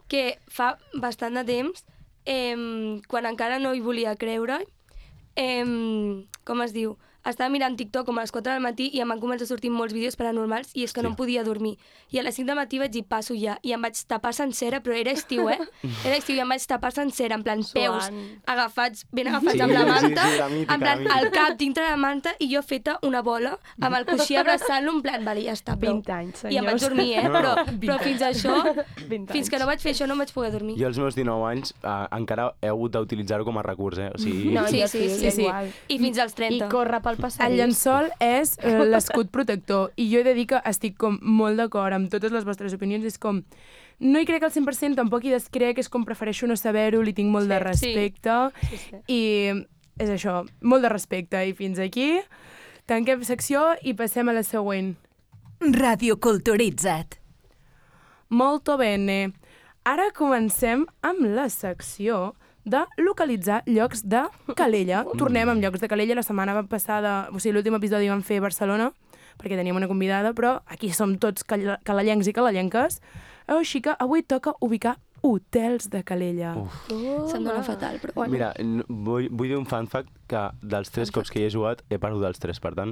Speaker 5: que fa bastant de temps, eh, quan encara no hi volia creure, eh, com es diu, estava mirant TikTok com a les quatre del matí i em van començar a sortir molts vídeos paranormals i és que no em podia dormir. I a les cinc del matí vaig dir, passo ja, i em vaig tapar sencera, però era estiu, eh? Era estiu i em vaig tapar sencera, en plan peus
Speaker 4: Suant.
Speaker 5: agafats, ben agafats
Speaker 3: Sí,
Speaker 5: amb la
Speaker 3: sí,
Speaker 5: manta,
Speaker 3: sí, la mítica,
Speaker 5: en plan
Speaker 3: la mítica.
Speaker 5: el cap dintre la manta i jo feta una bola amb el coixí abraçant-lo, en plan, vale, ja està, prou.
Speaker 4: vint anys,
Speaker 5: I em vaig
Speaker 4: senyors.
Speaker 5: dormir, eh?
Speaker 3: No, no.
Speaker 5: Però, però fins a això,
Speaker 4: vint
Speaker 5: fins que no vaig fer això, no em vaig poder dormir.
Speaker 3: Jo als meus dinou anys eh, encara he hagut d'utilitzar-ho com a recurs, eh? O sigui...
Speaker 4: No,
Speaker 5: Sí,
Speaker 4: jo
Speaker 5: sí,
Speaker 4: sí,
Speaker 5: sí,
Speaker 2: sí.
Speaker 4: igual.
Speaker 5: I fins als
Speaker 4: I
Speaker 5: trenta.
Speaker 4: córrer pel
Speaker 2: El
Speaker 4: passadís.
Speaker 2: llençol és eh, l'escut protector i jo he de dir que estic com molt d'acord amb totes les vostres opinions. És com, no hi crec al cent per cent, tampoc hi descrec, és com prefereixo no saber-ho, li tinc molt de respecte
Speaker 4: Sí, sí.
Speaker 2: i és això, molt de respecte. I fins aquí tanquem secció i passem a la següent.
Speaker 1: Radio Culturitza't.
Speaker 2: Molto bene. Ara comencem amb la secció de localitzar llocs de Calella. Tornem amb llocs de Calella. La setmana passada, o sigui, l'últim episodi vam fer Barcelona, perquè teníem una convidada, però aquí som tots cal calellencs i calellenques. Així que avui toca ubicar hotels de Calella.
Speaker 3: Uf.
Speaker 5: Se'm dona fatal, però bueno.
Speaker 3: Mira, n- vull, vull dir un fan fact que dels tres cops que hi he jugat he perdut els tres, per tant,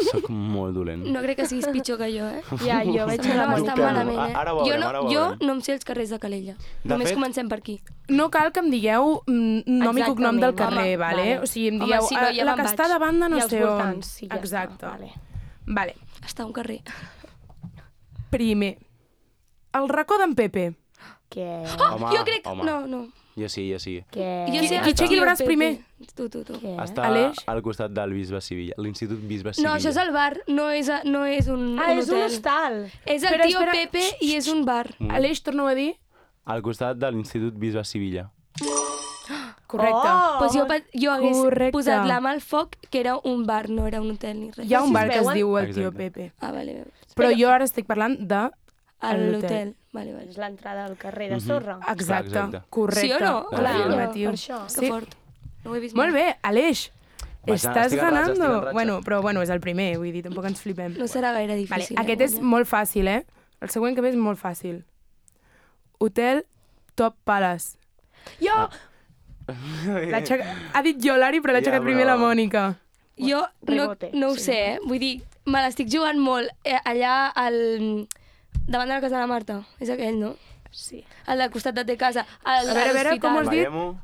Speaker 3: sóc molt dolent.
Speaker 5: No crec que siguis pitjor que jo, eh?
Speaker 4: Ja, jo veig
Speaker 5: Se'm
Speaker 4: la
Speaker 5: dona
Speaker 3: Dubtem.
Speaker 5: bastant malament, eh?
Speaker 3: Ara ho veurem,
Speaker 5: jo, no,
Speaker 3: ara ho
Speaker 5: jo
Speaker 3: veurem.
Speaker 5: no em sé els carrers de Calella.
Speaker 3: De
Speaker 5: Només
Speaker 3: fet-
Speaker 5: comencem per aquí.
Speaker 2: No cal que em digueu mm, nom i cognom del
Speaker 4: Exactament,
Speaker 2: carrer,
Speaker 4: home,
Speaker 2: vale?
Speaker 4: vale.
Speaker 2: O sigui, em
Speaker 5: Home,
Speaker 2: dieu,
Speaker 5: si no,
Speaker 2: "Ah,
Speaker 5: ja
Speaker 2: la
Speaker 5: me'n
Speaker 2: que està
Speaker 5: vaig."
Speaker 2: de banda no
Speaker 4: I als
Speaker 2: sé on.
Speaker 4: voltants, sí, ja està,
Speaker 2: Exacte.
Speaker 4: vale.
Speaker 2: Vale.
Speaker 5: Està a un carrer.
Speaker 2: Primer, el racó d'en Pepe.
Speaker 4: Què?
Speaker 3: Home,
Speaker 5: jo crec...
Speaker 3: home.
Speaker 5: No, no.
Speaker 3: Jo sí, jo sí.
Speaker 4: Què?
Speaker 5: Jo
Speaker 2: Qui-
Speaker 5: sé
Speaker 2: qui aixequi el
Speaker 5: Tio
Speaker 2: braç
Speaker 5: Pepe.
Speaker 2: primer?
Speaker 5: Tu, tu, tu.
Speaker 4: Què?
Speaker 3: Està
Speaker 2: Aleix?
Speaker 3: al costat del Bisbe Sevilla, l'Institut Bisbe Sevilla.
Speaker 5: No, això és el bar, no és, a, no és un,
Speaker 4: Ah,
Speaker 5: un
Speaker 4: és un
Speaker 5: hotel.
Speaker 4: hostal.
Speaker 5: És el
Speaker 2: Espera,
Speaker 5: tio
Speaker 2: espera.
Speaker 5: Pepe i és un bar.
Speaker 3: Mm.
Speaker 2: Aleix, torna-ho a dir.
Speaker 3: Al costat de l'Institut Bisbe Sevilla.
Speaker 2: Correcte.
Speaker 4: Oh!
Speaker 5: Pues jo, pe- jo hagués
Speaker 2: Correcte.
Speaker 5: posat la mà al foc que era un bar, no era un hotel ni res.
Speaker 2: Hi ha un
Speaker 4: si es
Speaker 2: bar que es
Speaker 4: veuen-
Speaker 2: diu el tio
Speaker 3: Exacte.
Speaker 2: Pepe.
Speaker 5: Ah, vale, vale.
Speaker 2: Però jo ara estic parlant de...
Speaker 5: A
Speaker 2: a l'hotel.
Speaker 5: l'hotel. Vale, vale.
Speaker 4: És l'entrada al carrer de
Speaker 3: Mhm.
Speaker 4: sorra.
Speaker 2: Exacte,
Speaker 3: exacte.
Speaker 2: correcte.
Speaker 5: Sí o no?
Speaker 3: Clar,
Speaker 2: Afirmatiu.
Speaker 4: per això.
Speaker 5: Que
Speaker 2: Sí.
Speaker 5: fort. No ho he vist
Speaker 2: Molt
Speaker 5: mai.
Speaker 2: bé, Aleix.
Speaker 3: Vaig,
Speaker 2: Estàs
Speaker 3: estic en ratxa, estic en
Speaker 2: ganando.
Speaker 3: ratxa.
Speaker 2: Bueno, però bueno, és el primer, vull dir, tampoc ens flipem.
Speaker 5: No serà gaire
Speaker 2: Vale,
Speaker 5: difícil.
Speaker 2: aquest
Speaker 5: eh,
Speaker 2: és
Speaker 5: guanyar.
Speaker 2: molt fàcil, eh? El següent que ve és molt fàcil. Hotel Top Palace.
Speaker 4: Jo!
Speaker 2: L'ha aixecat- Ha dit jo, l'Ari, però l'ha
Speaker 3: Ja,
Speaker 2: aixecat primer
Speaker 3: però-
Speaker 2: la Mònica.
Speaker 5: Jo no,
Speaker 4: Rebote,
Speaker 5: no ho
Speaker 4: sí.
Speaker 5: sé, eh? Vull dir, me l'estic jugant molt eh, allà al... davant de la casa de la Marta. És aquell, no?
Speaker 4: Sí.
Speaker 5: Al del costat de té casa. Al,
Speaker 2: A veure, a veure, com has dit?
Speaker 3: Veiem-ho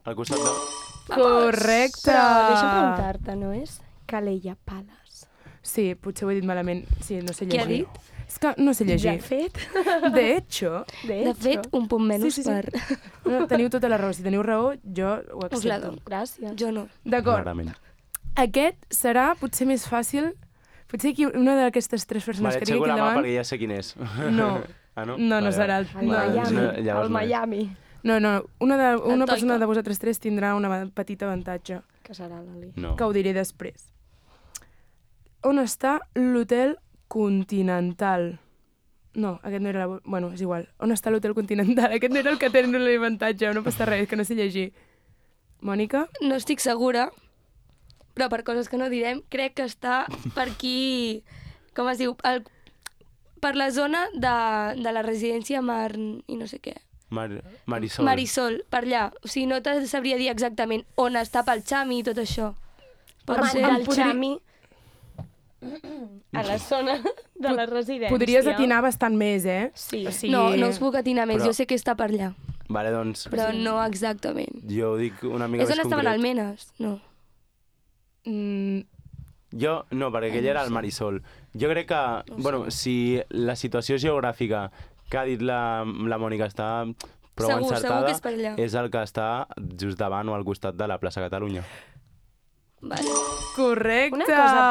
Speaker 3: al costat de...
Speaker 2: Correcte!
Speaker 4: Però deixa'm preguntar-te, no és Calella Palace?
Speaker 2: Sí, potser ho he dit malament. Sí, no sé
Speaker 5: Què ha
Speaker 2: llegir.
Speaker 5: dit?
Speaker 2: És que no sé llegir.
Speaker 4: De fet.
Speaker 2: De hecho...
Speaker 4: De,
Speaker 5: De fet, un punt menys
Speaker 2: Sí, sí, sí.
Speaker 5: per...
Speaker 2: No, teniu tota la raó. Si teniu raó, jo ho
Speaker 5: Us la
Speaker 2: accepto.
Speaker 5: dono.
Speaker 4: Gràcies.
Speaker 5: Jo no.
Speaker 2: D'acord.
Speaker 3: Clarament.
Speaker 2: Aquest serà potser més fàcil. Potser aquí una d'aquestes tres persones
Speaker 3: Vale,
Speaker 2: que tinc
Speaker 3: aixeco
Speaker 2: aquí
Speaker 3: la mà
Speaker 2: davant...
Speaker 3: perquè ja sé quin és.
Speaker 2: No.
Speaker 3: Ah, no?
Speaker 2: No, no
Speaker 3: Vale,
Speaker 2: serà
Speaker 3: vale.
Speaker 2: el-
Speaker 4: El
Speaker 2: No,
Speaker 4: Miami.
Speaker 3: no, llavors
Speaker 4: El
Speaker 3: no és.
Speaker 4: Miami.
Speaker 2: No, no, una, de, una
Speaker 5: El
Speaker 2: persona
Speaker 5: Toica.
Speaker 2: de vosaltres tres tindrà un petit avantatge,
Speaker 4: Que serà l'Ali.
Speaker 3: No.
Speaker 2: que ho diré després. On està l'hotel Continental? No, aquest no era... La... Bueno, és igual. On està l'hotel Continental? Aquest no era el que tenen l'avantatge, no passa res, que no sé llegir. Mònica?
Speaker 5: No estic segura, però per coses que no direm, crec que està per aquí... Com es diu? El, per la zona de, de la residència Mar... i no sé què.
Speaker 3: Mar Marisol.
Speaker 5: Marisol, per allà. O sigui, no te sabria dir exactament on està pel Xami i tot això. Pot
Speaker 4: Home,
Speaker 5: ser?
Speaker 4: el Xami a la zona de la residència.
Speaker 2: Podries atinar bastant més, eh?
Speaker 4: Sí.
Speaker 2: O sigui...
Speaker 5: No, no us puc atinar més.
Speaker 3: Però-
Speaker 5: Jo sé que està per allà,
Speaker 3: Vale, doncs,
Speaker 5: però no exactament.
Speaker 3: jo ho dic una mica
Speaker 5: És
Speaker 3: més
Speaker 5: on estaven
Speaker 3: concret.
Speaker 5: almenes? No.
Speaker 2: Mm,
Speaker 3: Jo, no, perquè aquell era el Marisol. Jo crec que, bueno, si la situació geogràfica que ha dit la, la Mònica està prou
Speaker 5: Segur, segur
Speaker 3: encertada,
Speaker 5: que és per allà.
Speaker 3: és el que està just davant o al costat de la plaça Catalunya.
Speaker 5: Vale.
Speaker 2: correcte!
Speaker 4: Una cosa,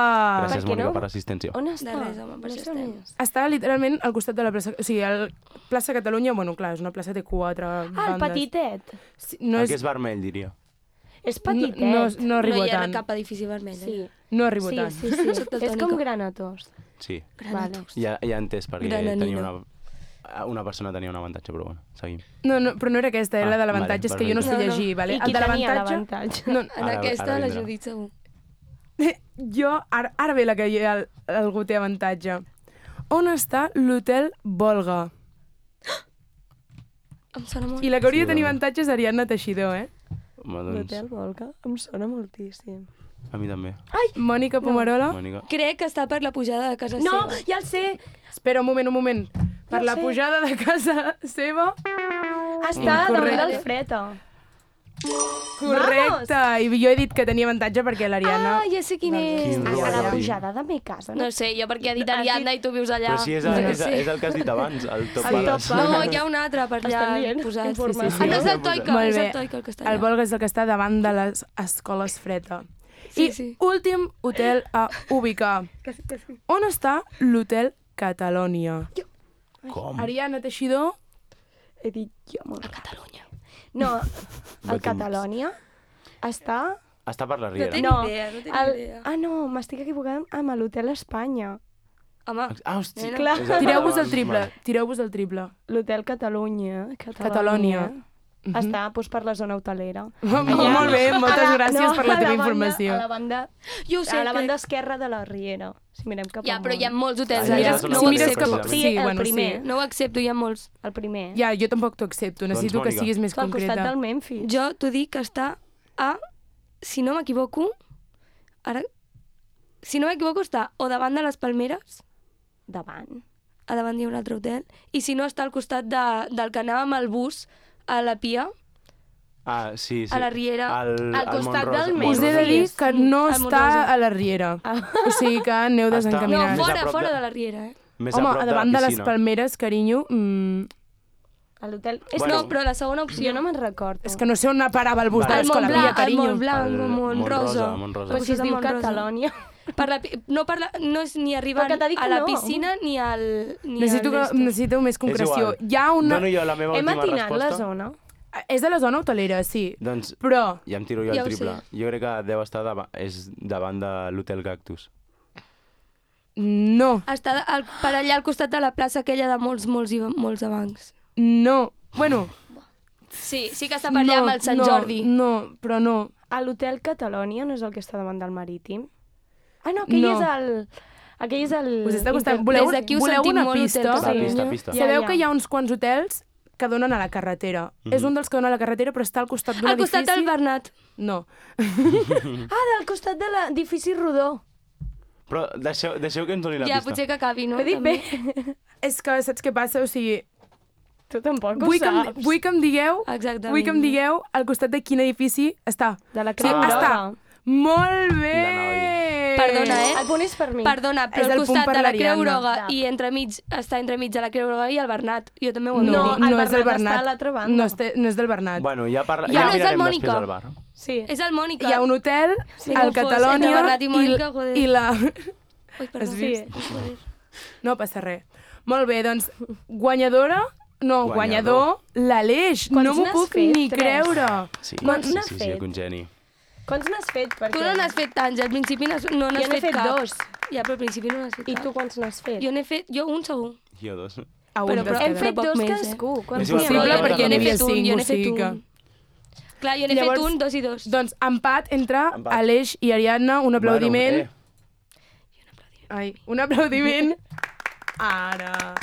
Speaker 3: Gràcies,
Speaker 4: què
Speaker 3: Mònica,
Speaker 4: no?
Speaker 3: per l'assistència.
Speaker 4: On està?
Speaker 5: De res, home, per
Speaker 4: No
Speaker 5: això
Speaker 4: sé on
Speaker 5: estem.
Speaker 4: és.
Speaker 2: Està literalment al costat de la plaça... O sigui, el plaça Catalunya, bueno, clar, és una plaça que té quatre
Speaker 4: Ah, el
Speaker 2: bandes.
Speaker 4: petitet.
Speaker 2: Sí, no
Speaker 3: el
Speaker 2: és...
Speaker 3: que és vermell, diria.
Speaker 4: És
Speaker 2: No,
Speaker 4: petitet.
Speaker 2: no, no
Speaker 5: No
Speaker 2: arribo
Speaker 5: hi ha
Speaker 2: tant.
Speaker 5: cap edifici vermell.
Speaker 4: Sí.
Speaker 5: Eh?
Speaker 2: No arribo
Speaker 4: Sí,
Speaker 2: tant.
Speaker 4: sí, sí.
Speaker 5: Soc
Speaker 4: És
Speaker 5: daltònica.
Speaker 4: com Granatos.
Speaker 3: Sí,
Speaker 4: Vale.
Speaker 3: ja, ja he entès perquè
Speaker 5: Grananina.
Speaker 3: tenia una, una persona tenia un avantatge, però bueno, seguim.
Speaker 2: No, no, però no era aquesta, era
Speaker 3: Ah,
Speaker 2: la de l'avantatge,
Speaker 3: vale,
Speaker 2: és que jo no sé
Speaker 5: perfecte. No, no.
Speaker 2: llegir, vale?
Speaker 4: I qui
Speaker 2: el de
Speaker 4: tenia
Speaker 2: l'avantatge...
Speaker 4: l'avantatge?
Speaker 2: No,
Speaker 5: En
Speaker 3: Ara-
Speaker 5: aquesta,
Speaker 3: ara
Speaker 5: la
Speaker 3: vindrà.
Speaker 5: Judit segur.
Speaker 2: jo, ara, ara ve la que hi ha, el- algú té avantatge. On està l'hotel Volga?
Speaker 5: Em sona molt.
Speaker 2: I la que hauria
Speaker 3: Sí,
Speaker 2: de tenir
Speaker 3: dona.
Speaker 2: avantatge és Ariadna Teixidor, eh?
Speaker 3: Home, doncs,
Speaker 4: L'hotel Volca em sona moltíssim.
Speaker 3: a mi també.
Speaker 2: Mònica Pomarola?
Speaker 3: Mònica.
Speaker 5: Crec que està per la pujada de casa
Speaker 4: No,
Speaker 5: seva.
Speaker 4: ja el sé!
Speaker 2: Espera un moment, un moment. Per
Speaker 4: Ja
Speaker 2: la
Speaker 4: sé.
Speaker 2: pujada de casa seva...
Speaker 4: Està
Speaker 2: Incorrecte.
Speaker 4: damunt del Freta.
Speaker 2: Correcte! I jo he dit que tenia avantatge perquè l'Ariadna...
Speaker 5: Ah, ja sé quin és.
Speaker 3: Quin
Speaker 4: A
Speaker 3: robatori.
Speaker 4: la pujada de mi casa.
Speaker 5: No sé, jo perquè ha dit
Speaker 4: Has
Speaker 5: Ariadna
Speaker 4: dit-
Speaker 5: i tu vius allà.
Speaker 3: Però si és,
Speaker 5: no
Speaker 3: és,
Speaker 5: sé.
Speaker 3: és el que has dit abans, el Top
Speaker 2: Sí.
Speaker 3: Palace.
Speaker 5: No, hi ha un altre per allà
Speaker 4: Estan dient
Speaker 5: posat.
Speaker 4: informació.
Speaker 5: Ah, no és el Toica,
Speaker 2: Molt
Speaker 5: és
Speaker 2: bé.
Speaker 5: el Toica el que està
Speaker 2: El
Speaker 5: allà.
Speaker 2: Volga és el que està davant de les escoles Freta.
Speaker 5: Sí,
Speaker 2: I
Speaker 5: sí.
Speaker 2: últim hotel a ubicar. On està l'hotel Catalònia?
Speaker 3: Com?
Speaker 2: Ariadna Teixidor?
Speaker 4: He dit jo molt.
Speaker 5: Catalunya.
Speaker 4: No,
Speaker 3: No
Speaker 4: el
Speaker 3: tinc-
Speaker 4: Catalònia està...
Speaker 3: Està per la
Speaker 5: No
Speaker 3: Riera.
Speaker 5: té ni
Speaker 4: No,
Speaker 5: idea, no té ni
Speaker 4: el...
Speaker 5: idea.
Speaker 4: Ah, no, m'estic equivocant amb l'Hotel Espanya.
Speaker 5: Home,
Speaker 3: Ah, hosti.
Speaker 5: Nena.
Speaker 4: Clar.
Speaker 3: És el
Speaker 2: Tireu-vos el
Speaker 3: davant,
Speaker 2: triple,
Speaker 3: vale.
Speaker 2: tireu-vos el triple.
Speaker 4: L'Hotel Catalunya.
Speaker 2: Catalònia. Mhm.
Speaker 4: Està doncs, per la zona hotelera.
Speaker 2: Molt bé, moltes
Speaker 4: A la-
Speaker 2: gràcies
Speaker 4: no,
Speaker 2: per la
Speaker 4: a
Speaker 2: teva
Speaker 4: banda-
Speaker 2: informació.
Speaker 4: A la banda,
Speaker 5: jo ho sé,
Speaker 4: a la banda
Speaker 5: crec.
Speaker 4: esquerra de la Riera. Si mirem cap
Speaker 5: Ja, però hi ha
Speaker 4: amunt.
Speaker 5: molts hotels
Speaker 3: Ah,
Speaker 5: allà.
Speaker 3: ja,
Speaker 5: No
Speaker 3: si
Speaker 5: ho
Speaker 2: mires
Speaker 5: accepto.
Speaker 2: cap-
Speaker 4: Sí,
Speaker 2: Sí,
Speaker 4: el
Speaker 2: bueno,
Speaker 4: primer.
Speaker 2: sí.
Speaker 5: No ho accepto, hi ha molts.
Speaker 4: El primer.
Speaker 2: Ja, jo tampoc t'ho accepto, necessito
Speaker 3: Doncs,
Speaker 2: que
Speaker 3: Mònica.
Speaker 2: siguis més
Speaker 4: És al costat
Speaker 2: concreta.
Speaker 4: del Memphis.
Speaker 5: Jo t'ho dic que està a, si no m'equivoco, ara, si no m'equivoco està o davant de les Palmeres,
Speaker 4: Davant.
Speaker 5: a davant hi ha un altre hotel, i si no està al costat de, del que anàvem al bus a la Pia,
Speaker 3: Ah, sí, sí.
Speaker 5: A la Riera,
Speaker 3: Al,
Speaker 4: al costat
Speaker 3: Montrosa-
Speaker 4: del
Speaker 2: Us he de
Speaker 3: Montrosa.
Speaker 2: dir que no
Speaker 5: Al
Speaker 2: està
Speaker 5: Montrosa.
Speaker 2: a la Riera. O sigui que aneu
Speaker 3: Està-
Speaker 5: no,
Speaker 2: desencaminats.
Speaker 3: Més a
Speaker 5: fora,
Speaker 3: prop
Speaker 5: fora
Speaker 3: de-
Speaker 5: de la Riera, eh?
Speaker 3: Més
Speaker 2: Home,
Speaker 3: a prop
Speaker 2: a davant
Speaker 3: de
Speaker 2: de,
Speaker 3: la
Speaker 2: les
Speaker 3: piscina.
Speaker 2: Palmeres, carinyo... Mm,
Speaker 4: A l'hotel... És
Speaker 3: Bueno.
Speaker 5: No, però la segona opció...
Speaker 4: Jo no me'n recordo.
Speaker 2: és que no sé on parava el bus
Speaker 3: Vale.
Speaker 2: de
Speaker 5: Al
Speaker 2: l'escola
Speaker 5: Montblanc,
Speaker 2: Pia,
Speaker 5: al
Speaker 2: carinyo.
Speaker 5: Montblanc,
Speaker 3: El
Speaker 5: o Montrosa.
Speaker 3: Montrosa, Montrosa.
Speaker 4: Però si es
Speaker 5: Costat
Speaker 4: diu
Speaker 5: de Montrosa.
Speaker 4: Catalònia.
Speaker 5: Per la, pi- no, per la, no és ni arribant
Speaker 4: Però que t'ha dit
Speaker 5: a
Speaker 4: que
Speaker 5: la
Speaker 4: no.
Speaker 5: piscina ni al... Ni
Speaker 2: Necessito,
Speaker 5: al
Speaker 2: que,
Speaker 5: d'esto.
Speaker 2: necessito més concreció.
Speaker 3: És igual.
Speaker 2: Hi ha una...
Speaker 3: Dono jo la meva
Speaker 4: Hem
Speaker 3: última
Speaker 4: atinat
Speaker 3: resposta.
Speaker 4: la zona.
Speaker 2: És de la zona hotelera, sí.
Speaker 3: Doncs
Speaker 2: Però
Speaker 3: ja em tiro jo
Speaker 5: Ja
Speaker 3: el
Speaker 5: ho
Speaker 3: triple.
Speaker 5: sé.
Speaker 3: Jo crec que deu estar davant, és davant de l'Hotel Cactus.
Speaker 2: no,
Speaker 5: Està al, per allà al costat de la plaça aquella de molts, molts, i molts de bancs.
Speaker 2: no. Bueno,
Speaker 5: Sí, sí que està per allà
Speaker 2: no,
Speaker 5: amb el Sant
Speaker 2: no,
Speaker 5: Jordi.
Speaker 2: No, però no.
Speaker 4: A l'hotel Catalònia no és el que està davant del Marítim? Ah, no, aquell
Speaker 2: No.
Speaker 4: és el... Aquell és el...
Speaker 2: Us està costant.
Speaker 4: Inter-
Speaker 2: Voleu,
Speaker 5: Des d'aquí ho
Speaker 2: voleu
Speaker 5: sentim
Speaker 2: una
Speaker 5: molt,
Speaker 2: pista?
Speaker 5: Hotel
Speaker 3: Va,
Speaker 5: Catalunya.
Speaker 3: pista, pista.
Speaker 4: Ja,
Speaker 2: Sabeu
Speaker 4: ja.
Speaker 2: que hi ha uns quants hotels que donen a la carretera. Mm-hmm. És un dels que dona a la carretera, però està al costat d'un
Speaker 5: Al
Speaker 2: edifici...
Speaker 5: costat del Bernat.
Speaker 2: No.
Speaker 4: Ah, del costat de l'edifici rodó.
Speaker 3: Però deixeu, deixeu que ens doni la
Speaker 5: Ja,
Speaker 3: pista.
Speaker 5: potser que acabi, no?
Speaker 4: Ho he dit
Speaker 5: També.
Speaker 4: bé.
Speaker 2: És que saps què passa? O sigui,
Speaker 4: Tu tampoc ho
Speaker 2: vull que,
Speaker 4: saps.
Speaker 2: em, vull que em digueu...
Speaker 5: Exactament.
Speaker 2: Vull que em digueu al costat de quin edifici està.
Speaker 4: De la
Speaker 2: Sí,
Speaker 4: Creu
Speaker 2: està.
Speaker 4: Groga.
Speaker 2: Molt bé!
Speaker 3: La Noi.
Speaker 5: Perdona, eh?
Speaker 4: El punt és per mi.
Speaker 5: Perdona,
Speaker 2: És
Speaker 5: però
Speaker 2: el
Speaker 5: al
Speaker 2: punt
Speaker 5: costat
Speaker 2: per
Speaker 5: de la
Speaker 2: l'Ariadna.
Speaker 5: Creu Groga
Speaker 4: Ja.
Speaker 5: i entremig, està entremig de la Creu Groga i el Bernat. Jo també ho he
Speaker 2: No,
Speaker 4: No,
Speaker 5: dit.
Speaker 4: el
Speaker 2: no és del
Speaker 4: Bernat està
Speaker 2: Bernat.
Speaker 4: a l'altra banda.
Speaker 2: No, este, no és del Bernat.
Speaker 3: Bueno, ja, parla...
Speaker 5: Ja
Speaker 3: ja
Speaker 5: no és el
Speaker 3: mirarem
Speaker 5: Mònica.
Speaker 3: després al bar.
Speaker 4: Sí.
Speaker 5: És el Mònica.
Speaker 2: Hi ha un hotel,
Speaker 5: Sí,
Speaker 2: al
Speaker 5: com fos,
Speaker 2: Catalònia,
Speaker 5: entre Bernat i Mònica,
Speaker 2: i,
Speaker 5: joder.
Speaker 2: i la...
Speaker 5: Ui, perdó.
Speaker 2: Has vist?
Speaker 5: Sí. Joder.
Speaker 2: No passa res. Molt bé, doncs, guanyadora... No,
Speaker 3: Guanyador.
Speaker 2: guanyador, l'Aleix.
Speaker 4: Quants
Speaker 2: No m'ho
Speaker 4: n'has
Speaker 2: puc
Speaker 4: fet?
Speaker 2: ni
Speaker 4: Tres.
Speaker 2: creure.
Speaker 3: Sí,
Speaker 4: Quants
Speaker 3: sí,
Speaker 4: n'has
Speaker 3: sí, sí,
Speaker 4: fet?
Speaker 3: un geni.
Speaker 4: Quants n'has fet? Perquè...
Speaker 5: Tu no n'has fet tants, al principi n'has- no n'has
Speaker 4: Jo n'he
Speaker 5: fet,
Speaker 4: fet
Speaker 5: cap.
Speaker 4: dos.
Speaker 5: Ja, però al principi no n'has fet
Speaker 4: I
Speaker 5: cap.
Speaker 4: tu quants n'has fet?
Speaker 5: Jo n'he fet, jo un segur.
Speaker 3: Jo dos.
Speaker 2: A un
Speaker 5: Però-
Speaker 2: dels
Speaker 5: però
Speaker 2: que
Speaker 4: Hem
Speaker 2: ve.
Speaker 4: fet
Speaker 5: poc
Speaker 4: dos
Speaker 5: més, eh?
Speaker 4: cadascú. Quants
Speaker 3: És
Speaker 4: n'hi ha?
Speaker 2: possible,
Speaker 5: jo-
Speaker 2: perquè
Speaker 5: jo
Speaker 2: n'hi
Speaker 5: n'he
Speaker 2: havia
Speaker 5: fet un,
Speaker 2: cinc,
Speaker 5: jo
Speaker 2: o
Speaker 5: n'he fet
Speaker 2: sigui que-
Speaker 5: un. Clar, jo n'he
Speaker 2: Llavors,
Speaker 5: fet un, dos i dos.
Speaker 2: Doncs empat entre
Speaker 3: Empat.
Speaker 2: Aleix i Ariadna, un aplaudiment.
Speaker 3: Bueno, eh.
Speaker 2: Ai, un aplaudiment. Ara.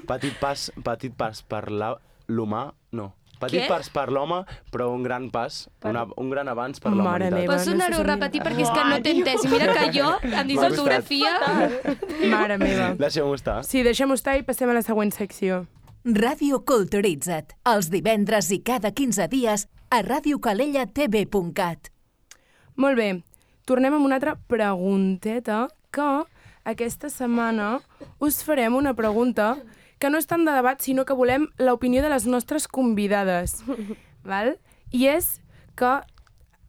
Speaker 3: Petit pas, petit pas per la- l'humà, no. Petit
Speaker 5: Què?
Speaker 3: pas per l'home, però un gran pas, una, un gran avanç per la
Speaker 2: Mare
Speaker 3: humanitat.
Speaker 2: meva.
Speaker 5: Pots
Speaker 2: no
Speaker 5: tornar-ho
Speaker 2: sé
Speaker 5: a
Speaker 2: si
Speaker 5: repetir perquè és que no t'he entès. I mira que jo, amb
Speaker 3: M'ha
Speaker 5: disfotografia...
Speaker 2: Mare meva.
Speaker 3: Deixem-ho estar.
Speaker 2: Sí, deixem-ho estar i passem a la següent secció.
Speaker 1: Ràdio Culturitza't, els divendres i cada quinze dies a radio calella t v punt cat.
Speaker 2: Molt bé, tornem amb una altra pregunteta que aquesta setmana us farem una pregunta que no és tant de debat, sinó que volem l'opinió de les nostres convidades. Val? I és que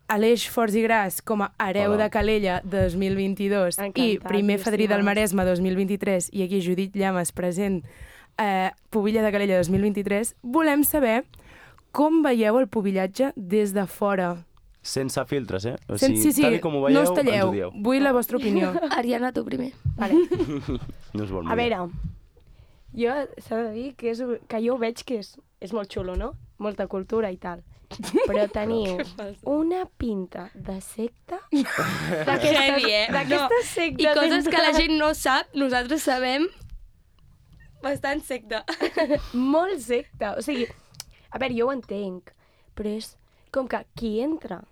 Speaker 2: Aleix Forts i Gras, com a hereu
Speaker 3: Hola.
Speaker 2: de Calella dos mil vint-i-dos i
Speaker 4: Encantat,
Speaker 2: primer fadrí del
Speaker 4: estimades.
Speaker 2: Maresme dos mil vint-i-tres i aquí Judit Llames present eh, Pubilla de Calella dos mil vint-i-tres, volem saber com veieu el pubillatge des de fora.
Speaker 3: Sense filtres, eh? O
Speaker 2: Sen-
Speaker 3: sigui,
Speaker 2: sí, sí,
Speaker 3: tal i com ho veieu,
Speaker 2: no us
Speaker 3: ens ho
Speaker 2: talleu.
Speaker 3: dieu.
Speaker 2: Vull la vostra opinió.
Speaker 5: Ariadna, tu primer.
Speaker 4: Vale.
Speaker 3: No us vol
Speaker 4: A
Speaker 3: molt bé.
Speaker 4: veure, jo s'ha de dir que, és, que jo ho veig que és, és molt xulo, no? Molta cultura i tal. Però teniu una pinta de secta
Speaker 5: Heavy, eh?
Speaker 4: d'aquestes sectes.
Speaker 5: I coses que la
Speaker 4: entre-
Speaker 5: gent no sap, nosaltres sabem bastant secta.
Speaker 4: Molt secta. O sigui, a veure, jo ho entenc, però és com que qui entra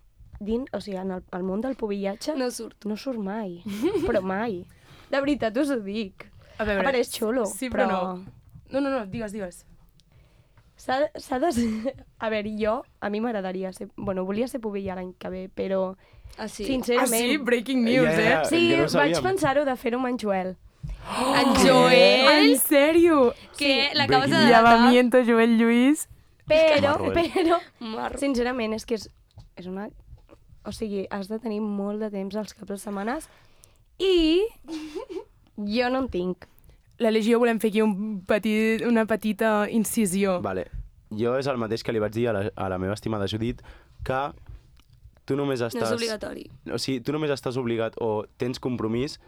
Speaker 4: dins, o sigui, en el, el món del pubillatge
Speaker 5: No surt.
Speaker 4: no surt mai, però mai. De veritat us ho dic.
Speaker 2: A
Speaker 4: A veure, és xulo,
Speaker 2: sí, però,
Speaker 4: però...
Speaker 2: no. No, no, no, digues, digues.
Speaker 4: S'ha de- s'ha de... ser- A veure, jo, a mi m'agradaria ser... Bueno, volia ser pubilla l'any que ve, però
Speaker 5: Ah, sí?
Speaker 2: Ah,
Speaker 4: sincerament...
Speaker 2: sí? Breaking news,
Speaker 3: Ja, ja, ja.
Speaker 2: eh?
Speaker 4: Sí,
Speaker 3: que no
Speaker 4: vaig
Speaker 3: sabíem.
Speaker 4: pensar-ho de fer-ho amb en Joel.
Speaker 5: En Joel,
Speaker 2: En sèrio?
Speaker 5: que l'acabes de
Speaker 3: Breaking
Speaker 5: datar.
Speaker 2: Llavamiento, Joel Lluís.
Speaker 4: Però,
Speaker 3: Marro, eh?
Speaker 4: però,
Speaker 5: Marro.
Speaker 4: sincerament, és que és, és una... O sigui, has de tenir molt de temps als caps de setmanes i jo no en tinc.
Speaker 2: La Legió volem fer aquí un petit, una petita incisió.
Speaker 3: Vale. Jo és el mateix que li vaig dir a la, a la meva estimada Judit, que tu només
Speaker 5: No
Speaker 3: estàs...
Speaker 5: és obligatori.
Speaker 3: O sigui, tu només estàs obligat o tens compromís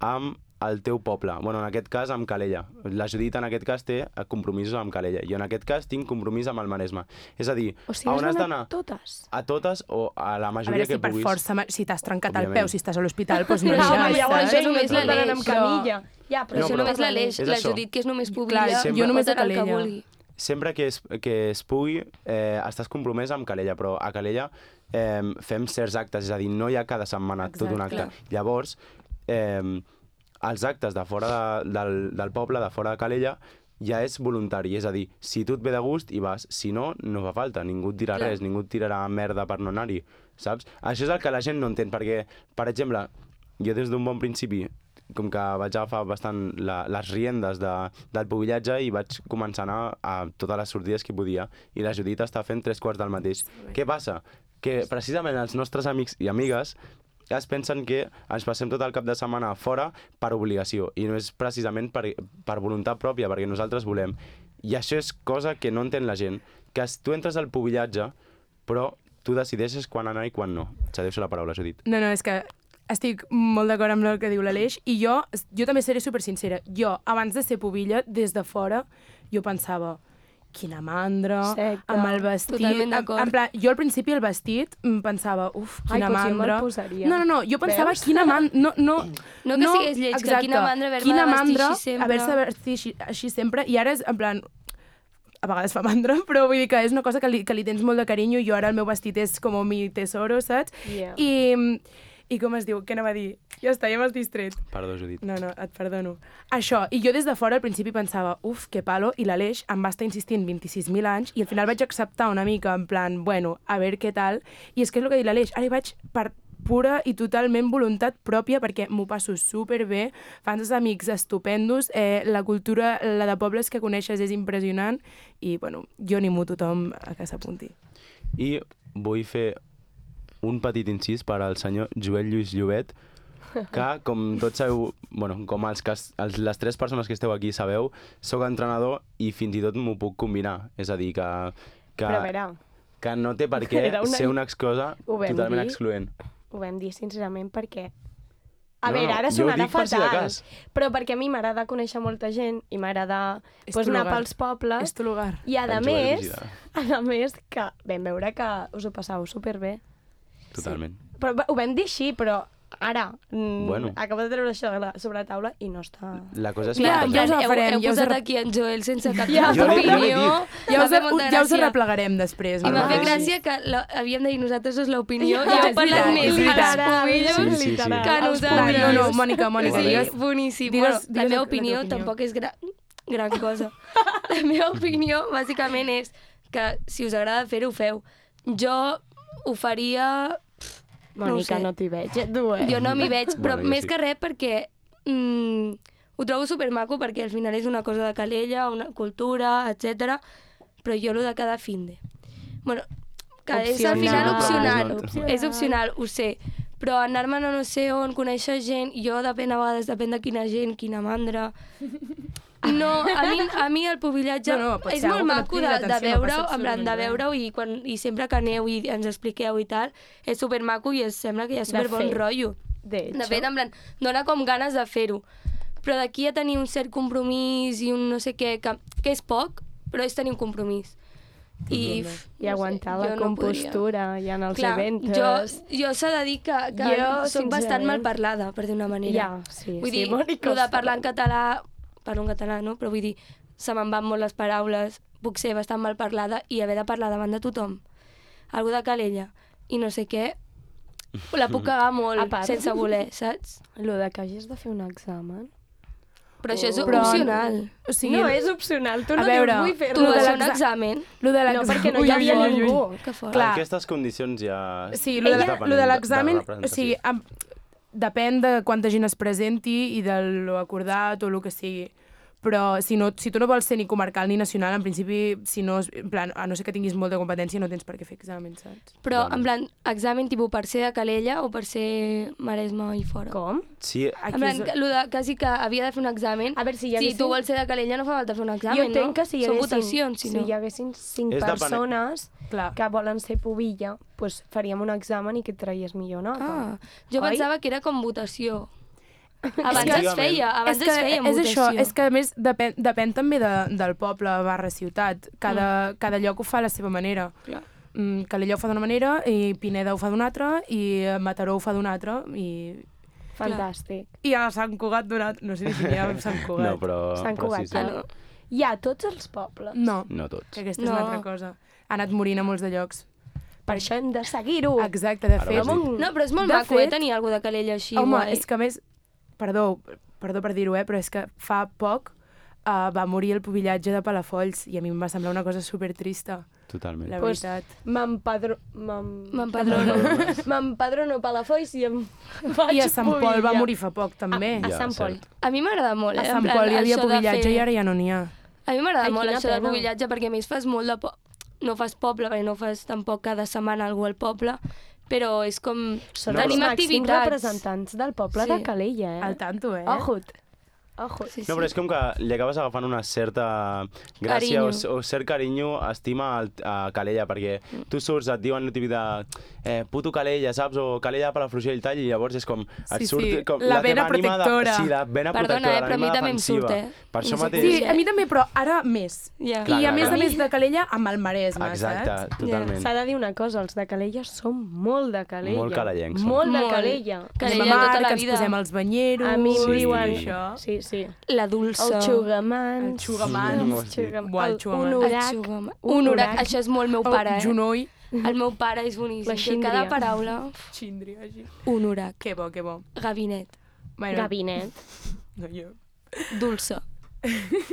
Speaker 3: amb el teu poble. Bueno, en aquest cas, amb Calella. La Judit, en aquest cas, té compromisos amb Calella. Jo, en aquest cas, tinc compromís amb el Maresme. És a dir,
Speaker 4: O sigui,
Speaker 3: a on has
Speaker 4: has
Speaker 3: d'anar?
Speaker 4: d'anar totes.
Speaker 3: A totes o a la
Speaker 2: A
Speaker 3: majoria
Speaker 2: veure, si
Speaker 3: que
Speaker 2: per
Speaker 3: puguis.
Speaker 2: força, ma- si t'has trencat el
Speaker 3: Òbviament.
Speaker 2: peu, si estàs a l'hospital, doncs no
Speaker 5: No,
Speaker 2: aniràs.
Speaker 5: home, llavors
Speaker 2: saps?
Speaker 5: això és només la
Speaker 4: l'anem
Speaker 5: Leix,
Speaker 4: amb
Speaker 2: però-
Speaker 4: camilla. Ja, però
Speaker 5: Però
Speaker 3: No,
Speaker 5: això
Speaker 3: però-
Speaker 5: només la Leix,
Speaker 3: És
Speaker 5: la
Speaker 3: això.
Speaker 5: Judit, que és només pública,
Speaker 2: Clar,
Speaker 3: Sempre-
Speaker 2: jo només a
Speaker 5: pot anar al que
Speaker 2: Calella.
Speaker 5: vulgui.
Speaker 3: Sempre que es, que es pugui, eh, estàs compromès amb Calella, però a Calella eh, fem certs actes, és a dir, no hi ha cada setmana
Speaker 2: Exacte.
Speaker 3: tot un acte.
Speaker 5: Clar.
Speaker 3: Llavors, eh, els actes de fora de, del, del poble, de fora de Calella, ja és voluntari, és a dir, si tu et ve de gust hi vas, si no, no fa falta, ningú et dirà
Speaker 5: Clar.
Speaker 3: res, ningú et tirarà merda per no anar-hi, saps? Això és el que la gent no entén, perquè, per exemple, jo des d'un bon principi, com que vaig agafar bastant la, les riendes de, del pubillatge i vaig començar a anar a totes les sortides que podia, i la Judit està fent tres quarts del mateix. Què passa? Que precisament els nostres amics i amigues es pensen que ens passem tot el cap de setmana fora per obligació, i no és precisament per, per voluntat pròpia, perquè nosaltres volem. I això és cosa que no entén la gent, que es- tu entres al pubillatge, però tu decideixes quan anar i quan no. Cedeixo la paraula, Judit.
Speaker 2: No, no, és que estic molt d'acord amb el que diu l'Aleix i jo, jo també seré super sincera. Jo, abans de ser pubilla, des de fora, jo pensava quina mandra,
Speaker 4: Secte.
Speaker 2: amb el vestit...
Speaker 5: Totalment
Speaker 2: en,
Speaker 5: d'acord.
Speaker 2: en plan, jo al principi el vestit em pensava, uf,
Speaker 4: Ai,
Speaker 2: quina
Speaker 4: potser me'l
Speaker 2: mandra.
Speaker 4: posaria.
Speaker 2: No, no, no, jo pensava,
Speaker 4: Veus?
Speaker 2: quina mandra... No, no,
Speaker 5: No que sigués lleig, que quina mandra haver-me
Speaker 2: quina
Speaker 5: de vestir
Speaker 2: mandra
Speaker 5: així sempre.
Speaker 2: haver-se de vestir així, així sempre, i ara és, en plan, a vegades fa mandra, però vull dir que és una cosa que li, que li tens molt de carinyo, i jo ara el meu vestit és com mi tesoro, saps?
Speaker 4: Yeah.
Speaker 2: I, I com es diu? Què anava a dir? Ja està, ja m'has distret.
Speaker 3: Perdó, Judit.
Speaker 2: No, no, et perdono. Això, i jo des de fora al principi pensava, uf, que palo, i l'Aleix em va estar insistint vint-i-sis mil anys, i al final vaig acceptar una mica, en plan, bueno, a veure què tal, i és que és el que ha dit l'Aleix, ara hi vaig per pura i totalment voluntat pròpia, perquè m'ho passo superbé, fans uns amics estupendos, eh, la cultura, la de pobles que coneixes és impressionant, i, bueno, jo animo tothom a que s'apunti.
Speaker 3: I vull fer un petit incís per al senyor Joel Lluís Llobet, que, com tots sabeu, bueno, com els que, els, les tres persones que esteu aquí sabeu, sóc entrenador i fins i tot m'ho puc combinar. És a dir, que, que,
Speaker 4: Però a veure,
Speaker 3: que no té per què
Speaker 4: Era una-
Speaker 3: ser una cosa
Speaker 4: Ho vam
Speaker 3: totalment
Speaker 4: dir.
Speaker 3: excloent.
Speaker 4: ho vam dir sincerament perquè... A
Speaker 3: No,
Speaker 4: veure,
Speaker 3: no,
Speaker 4: ara
Speaker 3: jo ho
Speaker 4: sonarà
Speaker 3: dic per si de
Speaker 4: fatal,
Speaker 3: cas.
Speaker 4: però perquè a mi m'agrada conèixer molta gent i m'agrada
Speaker 2: És
Speaker 4: pues,
Speaker 2: tu
Speaker 4: anar
Speaker 2: lugar.
Speaker 4: pels pobles.
Speaker 2: És tu lugar.
Speaker 4: I a
Speaker 3: El Joel
Speaker 4: més,
Speaker 3: Vigida.
Speaker 4: a més que vam veure que us ho passàveu superbé.
Speaker 3: Totalment.
Speaker 4: Però va- ho vam dir així, però ara mm,
Speaker 3: Bueno.
Speaker 4: acabo de treure això de la- sobre la taula i no està...
Speaker 3: La cosa és
Speaker 2: Clar,
Speaker 3: que...
Speaker 2: ja us
Speaker 5: heu,
Speaker 2: agafarem,
Speaker 5: heu
Speaker 2: ja us
Speaker 5: posat
Speaker 2: arre-
Speaker 5: aquí en Joel sense cap
Speaker 4: Ja,
Speaker 3: jo li- jo l'he
Speaker 5: opinió.
Speaker 3: dit.
Speaker 2: Ja
Speaker 5: M'ha
Speaker 2: us,
Speaker 5: fet molta
Speaker 2: ja us
Speaker 5: gràcia.
Speaker 2: arreplegarem després.
Speaker 5: I m'ha
Speaker 2: no?
Speaker 5: fet
Speaker 3: Sí.
Speaker 5: gràcia que la, havíem de dir nosaltres és l'opinió i
Speaker 2: Ja,
Speaker 5: heu
Speaker 2: és
Speaker 5: parlat
Speaker 2: veritat,
Speaker 5: més
Speaker 2: és
Speaker 5: als
Speaker 2: veritat.
Speaker 5: cubillos
Speaker 3: Sí, sí, sí.
Speaker 5: que
Speaker 2: Clar,
Speaker 5: nosaltres.
Speaker 2: no, no, Mònica, Mònica,
Speaker 5: Sí,
Speaker 2: digues...
Speaker 5: boníssim.
Speaker 2: digues-
Speaker 5: Bueno, la
Speaker 2: digues
Speaker 5: meva
Speaker 2: la teva
Speaker 5: opinió
Speaker 2: opinió.
Speaker 5: tampoc és gra gran cosa. La meva opinió, bàsicament, és que si us agrada fer-ho, ho feu. Jo ho faria...
Speaker 4: Mònica,
Speaker 5: sé.
Speaker 4: no t'hi veig, eh, tu, eh?
Speaker 5: Jo no m'hi veig, però
Speaker 3: Bueno, jo
Speaker 5: més
Speaker 3: sí.
Speaker 5: que res perquè mm, ho trobo supermaco perquè al final és una cosa de Calella, una cultura, etcètera. Però jo lo de cada finde. Bueno, que és al final
Speaker 3: Opcional.
Speaker 5: opcional.
Speaker 3: Opcional.
Speaker 5: És opcional, ho sé. Però anar-me'n a no sé on, conèixer gent, jo depèn a vegades, depèn de quina gent, quina mandra... No, a mi, a mi el pubillatge
Speaker 2: No, no, pot
Speaker 5: és
Speaker 2: ser
Speaker 5: molt
Speaker 2: algo que no et
Speaker 5: maco
Speaker 2: cridi
Speaker 5: de, de
Speaker 2: l'atenció, no
Speaker 5: veure-ho,
Speaker 2: passa
Speaker 5: en plan, de
Speaker 2: absolutament
Speaker 5: veure-ho i, quan, i sempre que aneu i ens expliqueu i tal, és supermaco i es sembla que hi ha superbon
Speaker 4: fet.
Speaker 5: rotllo.
Speaker 4: De
Speaker 5: De fet, en plan, dona com ganes de fer-ho. Però d'aquí a tenir un cert compromís i un no sé què, que, que és poc, però és tenir un compromís. I, uf,
Speaker 4: I aguantar
Speaker 5: no sé,
Speaker 4: la
Speaker 5: jo no
Speaker 4: compostura i en els
Speaker 5: Clar,
Speaker 4: events.
Speaker 5: jo, jo s'ha de dir que, que
Speaker 4: Jo,
Speaker 5: soc bastant
Speaker 4: sincerament-
Speaker 5: mal parlada, per dir una manera.
Speaker 4: Ja, sí,
Speaker 5: Vull
Speaker 4: sí,
Speaker 5: dir,
Speaker 4: Mònica,
Speaker 5: el de
Speaker 4: ho
Speaker 5: parlar en
Speaker 4: sabem.
Speaker 5: català, parlo en català, no? Però vull dir, se me'n van molt les paraules, puc ser bastant mal parlada i haver de parlar davant de tothom. Algú de Calella i no sé què, la puc cagar molt
Speaker 4: A part.
Speaker 5: sense voler, saps?
Speaker 4: Lo de que hagis de fer un examen...
Speaker 5: Però això és
Speaker 2: Però-
Speaker 5: opcional.
Speaker 2: O sigui,
Speaker 4: No, és opcional, tu
Speaker 2: a
Speaker 4: no
Speaker 2: veure,
Speaker 4: dius vull
Speaker 5: Tu
Speaker 4: fer-lo.
Speaker 2: lo
Speaker 5: vas
Speaker 2: de
Speaker 5: fer un
Speaker 2: l'exa-
Speaker 5: examen?
Speaker 2: lo de
Speaker 4: No,
Speaker 2: l'examen...
Speaker 4: perquè no
Speaker 2: Ui,
Speaker 4: hi
Speaker 2: ui,
Speaker 4: havia
Speaker 2: ui, ui.
Speaker 4: ningú.
Speaker 5: Que fort.
Speaker 2: Clar.
Speaker 3: Aquestes condicions ja...
Speaker 2: Sí, lo de,
Speaker 3: Depenent
Speaker 2: lo de
Speaker 3: de-
Speaker 2: l'examen,
Speaker 3: de
Speaker 2: o
Speaker 3: representació.
Speaker 2: sigui, amb, depèn de quanta gent es presenti i de lo acordat o el que sigui. Però si, no, si tu no vols ser ni comarcal ni nacional, en principi, si no, en plan, a no ser que tinguis molta competència, no tens per què fer exàmens, saps?
Speaker 5: Però,
Speaker 3: Bueno.
Speaker 5: en plan, examen tipus per ser de Calella o per ser Maresme i fora?
Speaker 4: Com?
Speaker 3: Sí,
Speaker 2: Aquí
Speaker 5: En plan,
Speaker 2: és-
Speaker 5: que, lo de, quasi que havia de fer un examen.
Speaker 4: A veure, si hi
Speaker 5: Si
Speaker 4: haguessin...
Speaker 5: tu vols ser de Calella no fa falta fer un examen,
Speaker 4: Jo entenc
Speaker 5: no?
Speaker 4: que si hi
Speaker 5: Són
Speaker 4: haguessin,
Speaker 5: votacions, si,
Speaker 4: si
Speaker 5: no.
Speaker 4: hi haguessin cinc
Speaker 3: És depenent-
Speaker 4: persones
Speaker 2: Clar.
Speaker 4: que volen ser pubilla, pues faríem un examen i que et traies millor nota.
Speaker 5: Ah, jo
Speaker 4: Oi?
Speaker 5: pensava que era com votació. Abans
Speaker 3: que-
Speaker 5: es feia, abans
Speaker 2: és que
Speaker 5: es feia en
Speaker 2: és
Speaker 5: votació.
Speaker 2: això, és que a més depèn, depèn també de, del poble barra ciutat. Cada, mm. cada lloc ho fa a la seva manera.
Speaker 5: Clar.
Speaker 2: Mm, Calella ho fa d'una manera, i Pineda ho fa d'una altra, i Mataró ho fa d'una altra, i,
Speaker 4: Fantàstic.
Speaker 2: i a Sant Cugat d'una altra. No sé si n'hi ha a Sant Cugat.
Speaker 3: no, però...
Speaker 4: Sant
Speaker 3: però
Speaker 4: Cugat,
Speaker 3: sí, sí.
Speaker 5: Ah, no.
Speaker 4: Hi ha tots els pobles.
Speaker 2: No,
Speaker 3: No tots.
Speaker 2: que aquesta
Speaker 5: No.
Speaker 2: és una altra cosa. Ha anat morint a molts de llocs.
Speaker 4: Per això hem de seguir-ho.
Speaker 2: Exacte, de
Speaker 3: Ara
Speaker 2: fet...
Speaker 3: ho has dit.
Speaker 5: No, però és molt
Speaker 2: De
Speaker 5: maco, eh,
Speaker 2: fet-
Speaker 5: tenir algú de Calella així,
Speaker 2: Home,
Speaker 5: guai.
Speaker 2: és que a més... Perdó, perdó per dir-ho, eh, però és que fa poc uh, va morir el pubillatge de Palafolls i a mi em va semblar una cosa supertrista,
Speaker 3: Totalment.
Speaker 2: la
Speaker 4: Pues-
Speaker 2: veritat.
Speaker 4: M'empadro... m'em-
Speaker 5: M'empadrono.
Speaker 4: M'empadrono a Palafolls i em faig
Speaker 2: I a Sant Pol va
Speaker 4: pubilla.
Speaker 2: morir fa poc, també.
Speaker 4: A
Speaker 3: Ja,
Speaker 4: Sant Pol.
Speaker 3: cert.
Speaker 5: A mi m'agrada molt, eh?
Speaker 2: A
Speaker 5: en
Speaker 2: Sant
Speaker 5: plan,
Speaker 2: Pol hi havia
Speaker 5: això de
Speaker 2: pubillatge
Speaker 5: fer-
Speaker 2: i ara ja no n'hi ha.
Speaker 5: A mi m'agrada
Speaker 4: Ai,
Speaker 5: molt
Speaker 4: quina
Speaker 5: això del
Speaker 4: pena.
Speaker 5: pubillatge perquè a més fas molt de... Po... No fas poble, perquè no fas tampoc cada setmana algú al poble, però és com...
Speaker 4: Són
Speaker 3: No,
Speaker 4: els
Speaker 5: Tenim
Speaker 4: màxims
Speaker 5: activitats.
Speaker 4: representants del poble
Speaker 5: Sí.
Speaker 4: de Calella, eh?
Speaker 2: Al tanto, eh?
Speaker 4: Ojut. Ojo.
Speaker 5: Sí, sí.
Speaker 3: No, però és com que li acabes agafant una certa gràcia o,
Speaker 5: Carinyo.
Speaker 3: o cert carinyo, estima al, a Calella, perquè tu surts, et diuen el típic de eh, puto Calella, saps? O Calella per la Frugell i tal, i llavors és com... Et
Speaker 2: Sí,
Speaker 3: surt,
Speaker 2: sí,
Speaker 3: com
Speaker 2: la vena
Speaker 3: teva ànima
Speaker 2: protectora.
Speaker 3: De, sí, la vena
Speaker 5: Perdona,
Speaker 3: protectora,
Speaker 5: eh, però a mi
Speaker 3: l'ànima
Speaker 5: també em
Speaker 3: defensiva.
Speaker 5: surt, eh?
Speaker 3: Per això
Speaker 5: No sé
Speaker 3: mateix...
Speaker 2: Sí, a mi també, però ara més.
Speaker 5: Ja.
Speaker 3: Clar,
Speaker 2: I a
Speaker 3: clar,
Speaker 2: més
Speaker 3: clar.
Speaker 2: a més de Calella amb el Maresme,
Speaker 3: Exacte,
Speaker 2: saps?
Speaker 3: totalment.
Speaker 4: S'ha de dir una cosa, els de Calella som molt de Calella.
Speaker 3: Molt calellencs, som.
Speaker 4: Molt de
Speaker 5: Molt.
Speaker 4: Calella.
Speaker 5: Calella
Speaker 2: Anem a mar,
Speaker 5: tota la
Speaker 2: que ens
Speaker 5: vida.
Speaker 2: posem els banyeros...
Speaker 4: A mi em
Speaker 3: Sí.
Speaker 4: diuen...
Speaker 2: Això.
Speaker 4: Sí, sí.
Speaker 5: La dolça.
Speaker 4: El xugamans.
Speaker 2: El xugamans.
Speaker 4: Els xugam-
Speaker 2: Buah, el
Speaker 4: el
Speaker 2: xugamans.
Speaker 4: honorac.
Speaker 5: El xugam- Un orac. Això és molt meu pare,
Speaker 2: El
Speaker 5: eh?
Speaker 2: Junoy.
Speaker 5: El meu pare és boníssim.
Speaker 4: La
Speaker 5: que
Speaker 4: xíndria.
Speaker 5: Cada paraula,
Speaker 2: Xíndria, així.
Speaker 5: un orac.
Speaker 2: Que bo, que bo.
Speaker 5: Gabinet.
Speaker 2: Bueno,
Speaker 4: Gabinet.
Speaker 2: no, jo.
Speaker 5: Dolça.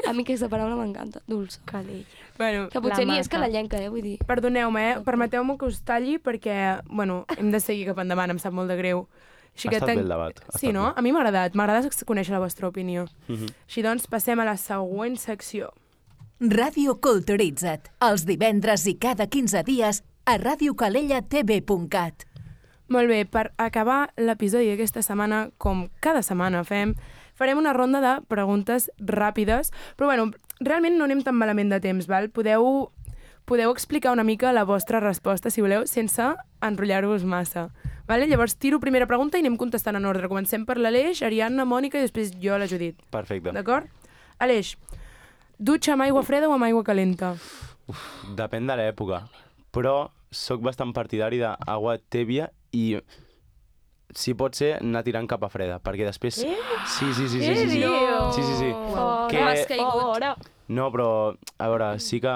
Speaker 5: A mi aquesta paraula m'encanta. Dolça.
Speaker 4: Calella.
Speaker 2: Bueno,
Speaker 5: Que potser
Speaker 4: La
Speaker 5: ni és
Speaker 4: mata.
Speaker 5: calellenca, eh? Vull dir...
Speaker 2: perdoneu-me, eh? Permeteu-me que us talli perquè, bueno, hem de seguir cap endavant, em sap molt de greu. Així
Speaker 3: Ha estat
Speaker 2: ten-
Speaker 3: bé el debat, ha
Speaker 2: Sí,
Speaker 3: estat
Speaker 2: no?
Speaker 3: bé.
Speaker 2: A mi m'ha agradat. M'agrada conèixer la vostra opinió.
Speaker 3: Mhm.
Speaker 2: Així doncs, passem a la següent secció.
Speaker 1: Ràdio Culturitza't, els divendres i cada quinze dies a radio calella t v punt cat.
Speaker 2: Molt bé, per acabar l'episodi d'aquesta setmana, com cada setmana fem, farem una ronda de preguntes ràpides, però bueno, realment no anem tan malament de temps, val? Podeu, podeu explicar una mica la vostra resposta, si voleu, sense enrotllar-vos massa. Vale? Llavors tiro primera pregunta i anem contestant en ordre. Comencem per l'Aleix, Ariadna, Mònica i després jo, la Judit.
Speaker 3: Perfecte.
Speaker 2: D'acord? Aleix, dutxa amb aigua freda o amb aigua calenta?
Speaker 3: Depèn de l'època, però sóc bastant partidari d'aigua tèbia i si pot ser anar tirant cap a freda, perquè després...
Speaker 4: Eh?
Speaker 3: Sí, sí, sí, sí,
Speaker 4: Què
Speaker 3: sí, sí.
Speaker 4: dius?
Speaker 3: Sí, sí, sí.
Speaker 4: Fora,
Speaker 3: Que-
Speaker 5: Has caigut.
Speaker 4: fora.
Speaker 3: No, però, a veure, sí que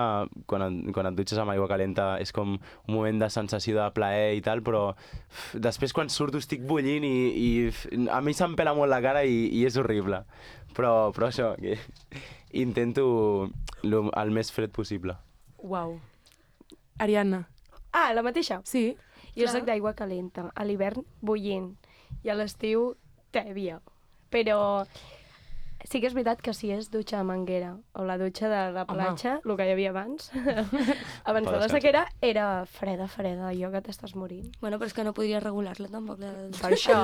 Speaker 3: quan et, quan et dutxes amb aigua calenta és com un moment de sensació de plaer i tal, però uf, després quan surto estic bullint i, i uf, a mi se'm pela molt la cara i, i és horrible. Però, però això, que intento lo, el més fred possible.
Speaker 2: Uau. Ariadna.
Speaker 4: Ah, la mateixa.
Speaker 2: Sí?
Speaker 4: Jo soc d'aigua calenta. A l'hivern, bullint. I a l'estiu, tèbia. Però sí que és veritat que si és dutxa de manguera o la dutxa de la
Speaker 2: Home.
Speaker 4: platja, el que hi havia abans, abans de la
Speaker 3: descansar.
Speaker 4: sequera, era freda, freda, allò que t'estàs morint.
Speaker 5: Bueno, però és que no podria regular-la tampoc. La...
Speaker 4: Per això.